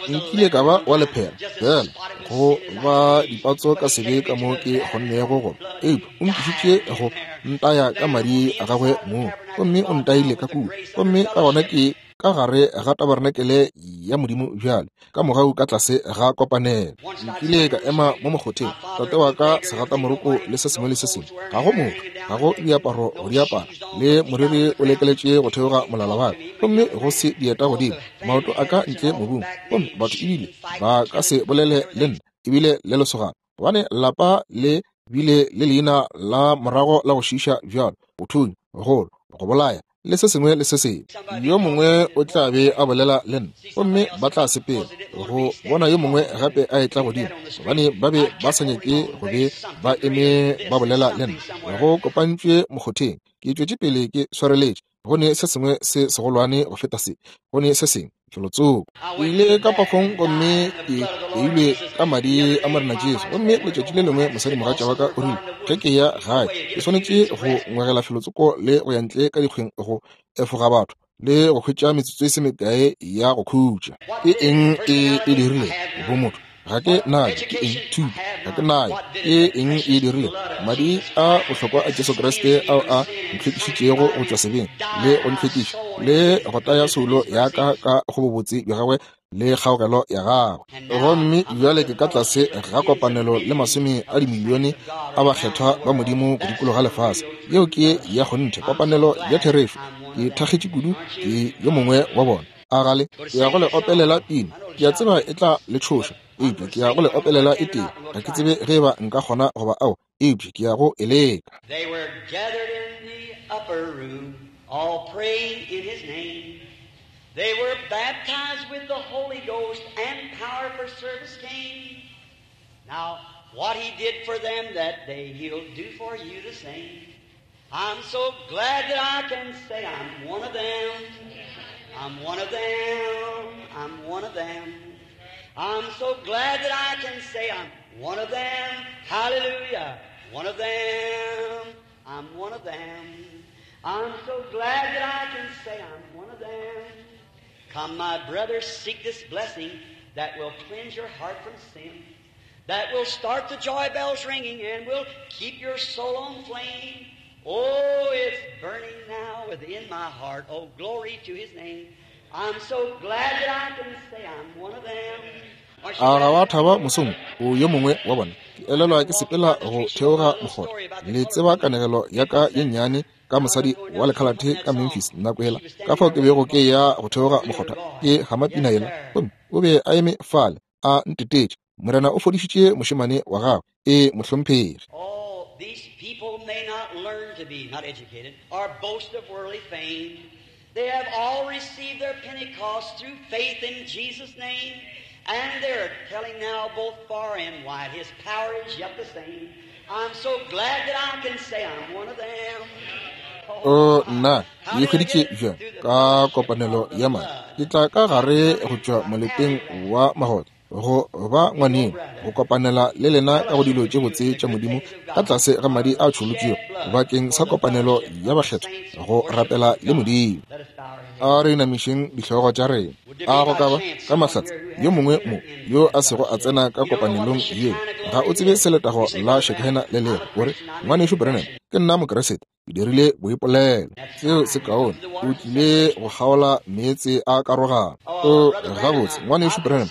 nkile ka ba wa lephera fela go ba dipatso ka sebe ka mo ke kgonnego go, eupša o nkišitše go ntaya ka madi a gagwe mong, gomme o ntaile ka kua, gomme ka gona ke ka gare ga tabarenakele ya Modimo bjale, ka mogau ka tlase ga kopanelo. Nkile ka ema mo mokgotheng, tate wa ka segatamoroko le se sengwe le se sengwe, ga go motho, ga go diaparo go di apara, le moriri o lekeletše go theoga molala wa ka, gomme go se dieta godimo, maoto a ka ntle mobung, gomme batho ebile ba ka se bolele le nna, ebile le lesogana, gobane lapa le bile le leina la morago la go šiiša bjalo, go thunya, go lwa, go bolaya, le se sengwe le se sengwe. Yo mongwe o tla be a bolela le nna, gomme ba tla sepela go bona yo mongwe gape a etla godimo, gobane ba be ba sa nyake go be ba eme ba bolela le nna. Go kopantšwe mokgotheng, ke tšwetše pele ke swareletše, go ne se sengwe se segolwane go feta se, go ne se sengwe felotsoko. Ke ile ka pafong gomme ke beilwe ka madi a Morena Jesu. Gomme letšatši le lengwe mosadimogatša wa ka o rile, ge ke ya gae ke swanetše go ngwegela felotsoko le go ya ntle ka dikgweng go efoga batho le go hwetša metsotso e se mekae ya go khutša. Ke eng e e dirile go motho? Ga ke nayo. Ke eng? Thuto. Ga ke nayo. Ke eng e dirile? Madi a bohlokwa a Jesu Kriste ao a ntlhwekišitšego go tšwa sebeng le go ntlhwekiša le go taya soulo ya ka ka go bobotse bja gagwe le kgaogelo ya gagwe. Gomme bjale ke ka tlase ga kopanelo le masome a dimilione a bakgethwa ba Modimo go dikologa lefase. Yeo ke ya kgonthe, kopanelo ya therešo. Ke thakgetše kudu, ke yo mongwe wa bona. A gale ke ya go le opelela pina. Ke a tseba e tla le tšhoša, eupša ke ya go le opelela e tee. Ga ke tsebe ge eba nka kgona goba ao, eupša ke ya go e leka. They were gathered in the upper room, all praying in his name. They were baptized with the Holy Ghost, and power for service came. Now, what he did for them that day, he'll do for you the same. I'm so glad that I can say I'm one of them. I'm one of them. I'm one of them. I'm so glad that I can say I'm one of them. Hallelujah. One of them. I'm one of them. I'm so glad that I can say I'm one of them. Come, my brothers, seek this blessing that will cleanse your heart from sin, that will start the joy bells ringing and will keep your soul on flame. Oh, it's burning now within my heart. Oh, glory to his name. I'm so glad that I can say I'm one of them. A ga wa thaba mosong o yo mongwe wa bona? Ke elelwa ke sepela go theoga mokgotha. Le tseba kanegelo ya ka ye nnyane ka mosadi wa lekhalathe ka Memphis nako yela, ka fao ke bego ke ya go theoga mokgotha ke gama pina yela, gomme o be a eme fale a ntetetše. Morena o fodišitše mošemane wa gagwe. Ee, mohlomphegi. Oh, these people may not learn to be not educated or boast of worldly fame. They have all received their Pentecost through faith in Jesus' name, and they're telling now both far and wide His power is yet the same. I'm so glad that I can say I'm one of them. O nna, ke e hweditše bjang ka kopanelo ya madi. Ke tla ka gare go tšwa moleteng wa magotlo go ba ngwaneng, go kopanela le lena ka go dilo tše botse tša Modimo ka tlase ga madi a tšholotšwego bakeng sa kopanelo ya bakgethwa, go rapela le Modimo. A re inamišeng dihlogo tša rena. A go ka ba ka mahlatse yo mongwe mo yo a sego a tsena ka kopanelong yeo? Ga o tsebe se letago la Shekinah le lego. O re, Ngwanešu Branham, ke nna Mokeresete, ke dirile boipolelo. Seo se kaone. O tlile go kgaola meetse a karogano. O gabotse, Ngwanešu Branham,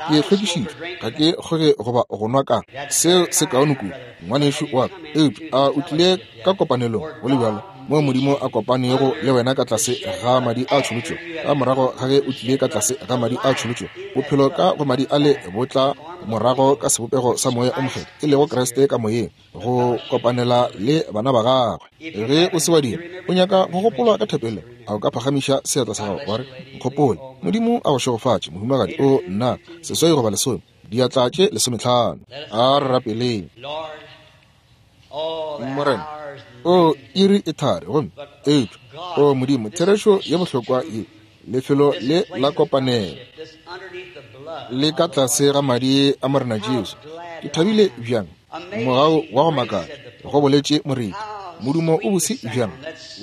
ke hlwekišitšwe, ga ke kgoge goba go nwa ka. Seo se kaone kudu, ngwanešu wa ka. Eupša a o tlile ka kopanelong go le bjalo, moo Modimo a kopanego le wena ka tlase ga madi a tšholotšwego? Ka morago ga ge o tlile ka tlase ga madi a tšholotšwego, bophelo ka go madi ale bo tla morago ka sebopego sa Moya o Mokgethwa, e lego Kriste ka Moyeng, go kopanela le bana ba gagwe. Ge o se wa dira, o nyaka go gopolwa ka thapelo, a o ka phagamiša seatla sa gago wa re, Nkgopole. Modimo a go šegofatše, mohumagadi. O nna, 8 goba 10, diatla tše 15. A re rapeleng. Morena, o iri e thari, gomme eupša, o Modimo, therešo ye bohlokwa ye, lefelo le la kopanelo le ka tlase ga madi a Morena Jesu. Ke thabile bjang, mogau wa go makatša, go boletše moreti. Modumo o bose bjang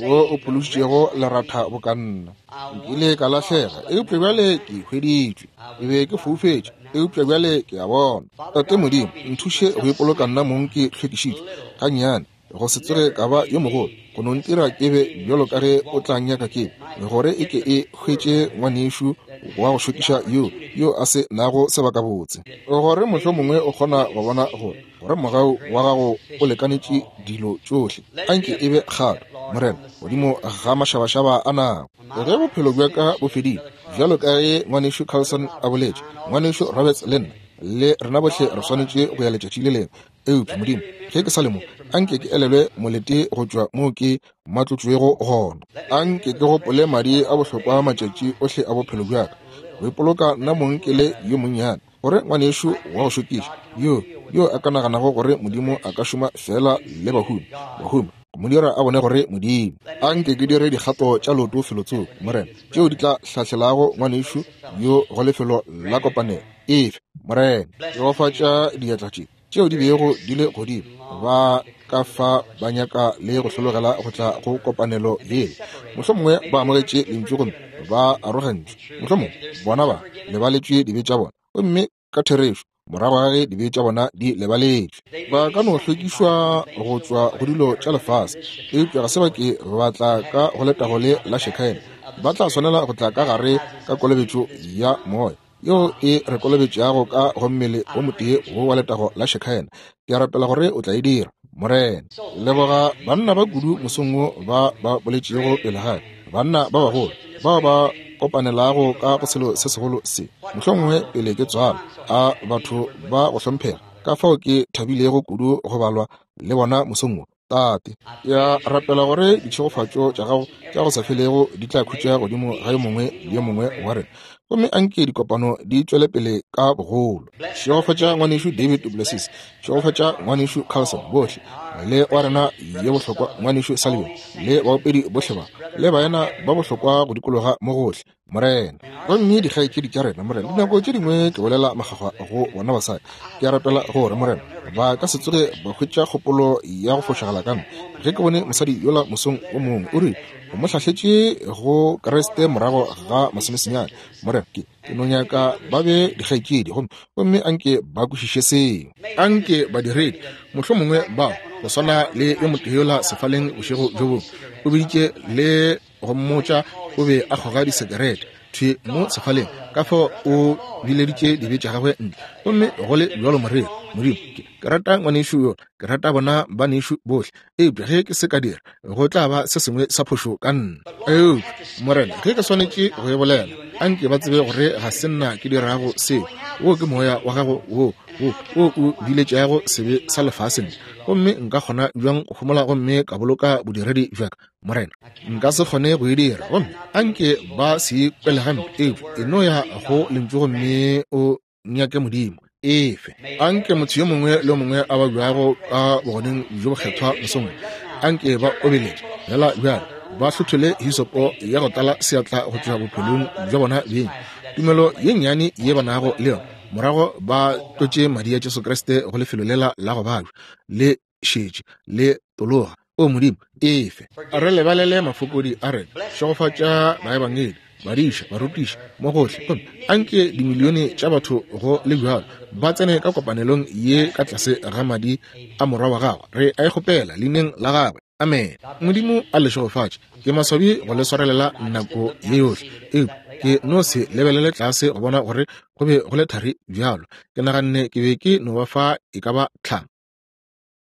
wo o phološitšego leratha boka nna. Nkile ka lahlega, eupša bjale ke hweditšwe. Ke be ke foufetše, eupša bjale ke a bona. Tate Modimo, nthuše go ipoloka nna mong ke hlwekišitšwe gannyane, go se tsoge ka ba yo mogolo, go no ntira ke be bjalo ka ge o tla nyaka ke be, gore e ke e hwetše ngwanešu wa go šokiša yo, yo a se nago sebakabotse, gore mohlomongwe o kgona go bona gore, gore mogau wa gago o lekanetše dilo tšohle. Anke e be kgato, Morena, godimo ga mašabašaba a nako. Ge bophelo bja ka bo fedile, bjalo ka ge Ngwanešu Carlson a boletše, Ngwanešu Roberts le nna, le rena bohle re swanetše go ya letšatši le lengwe. Eupša, Modimo, ge ke sa le mo, anke ke elelwe molete go tšwa moo ke matlotšwego gona. Anke ke gopole madi a bohlokwa matšatši ohle a bophelo bja ka, go ipoloka nna mong ke le yo monnyane, gore ngwanešu wa go šokiša yo, yo a ka naganago gore Modimo a ka šoma feela le bahumi, bahumi, go mo dira a bone gore Modimo. Anke ke dire dikgato tša leoto felotsoko, Morena, tšeo di tla hlahlelago ngwanešu yo go lefelo la kopanelo. Efe, Morena. Šegofatša diatla tše tšeo di bego di le godimo, ba ka fa ba nyaka le go hlologela go tla go kopanelo ye. Mohlomongwe ba amogetše lentšu gomme ba arogantšwe. Mohlomongwe bona ba lebaletšwe dibe tša bona, gomme ka therešo morago ga ge dibe tša bona di lebaletšwe, ba ka no hlwekišwa go tšwa go dilo tša lefase, eupša ga se ba ke ba tla ka go letago le la Shekinah. Ba tla swanela go tla ka gare ka kolobetšo ya Moya, yeo e re kolobetšago ka go mmele o motee wo wa letago la Shekinah. Ke a rapela gore o tla e dira, Morena. Leboga banna ba kudu mosong wo ba ba boletšego pele ga ka, banna ba bagolo bao ba kopanelago ka go selo se segolo se, mohlomongwe pele ke tswalwa, a batho ba go hlomphega, ka fao ke thabilego kudu go balwa le bona mosong wo. Tate, ke a rapela gore ditšhegofatšo tša gago tša go sa felego di tla khutša godimo ga yo mongwe le yo mongwe wa rena, gomme anke dikopano di tšwele pele ka bogolo. Šegofatša ngwanešu David duPlessis, šegofatša ngwanešu Carlson, bohle, le wa rena yo bohlokwa ngwanešu Sullivan, le baopedi bohle ba, le baena ba bohlokwa go dikologa mo gohle, Morena. Gomme dikgaetšedi tša rena, Morena, dinako tše dingwe ke bolela makgakgwa go bona basadi. Ke a rapela gore, Morena, ba ka se tsoge ba hwetša kgopolo ya go fošagala ka nna. Ge ke bone mosadi yola mosong o mongwe, o rile o mo hlahletše go Kriste morago ga masomesenyane. Morena, ke, ke no nyaka ba be dikgaetšedi, gomme, gomme anke ba kwešiše seo. Anke badiredi, mohlomongwe bao, go swana le yo motee yola sefaleng bošego bjo bongwe, o biditše le go mmotša o be a kgoga disekerete thwi mo sefaleng. Ka fao o bileditše dibe tša gagwe ntle. Gomme go le bjalo moreri, Modimo, ke, ke rata ngwanešu yola, ke rata bona banešu bohle, eupša ge ke se ka dira, go tla ba se sengwe sa phošo ka nna. Eupša, Morena, ge ke swanetše go e bolela, a nke ba tsebe gore ga se nna ke dirago seo. Wo ke Moya wa Gago wo, wo, wo o biletšago sebe sa lefase ntle. Gomme nka kgona bjang go homola gomme ka boloka bodiredi bja ka, Morena? Nka se kgone go e dira. Gomme a nke ba se ikwele gampe, eupša e no ya go Lentšu gomme o nyake Modimo. Efe. A nke motho yo mongwe le yo mongwe a babjago ka bogoneng bjo bokgethwa mosong wo, a nke ba obeletše fela bjale, ba hlothole hisopo ya go tlala seatla go tšwa bophelong bja bona beng, tumelo ye nnyane ye ba nago le yona, morago ba tlotše madi a Jesu Kriste go lefelo lela la go babja, le šetše le tologa. O Modimo, efe. Re lebalele mafokodi a rena. Šegofatša baebangedi, badiša, barutiši, mo gohle. Gomme anke dimilione tša batho go le bjalo ba tsene ka kopanelong ye ka tlase ga Madi a Morwa wa Gagwe. Re a e kgopela Leineng la Gagwe. Amene. Modimo a le šegofatše. Ke maswabi go le swarelela nako ye yohle, eupša ke no se lebelele tlase go bona gore go be go le thari bjalo. Ke naganne ke be ke no ba fa e ka ba tlhano.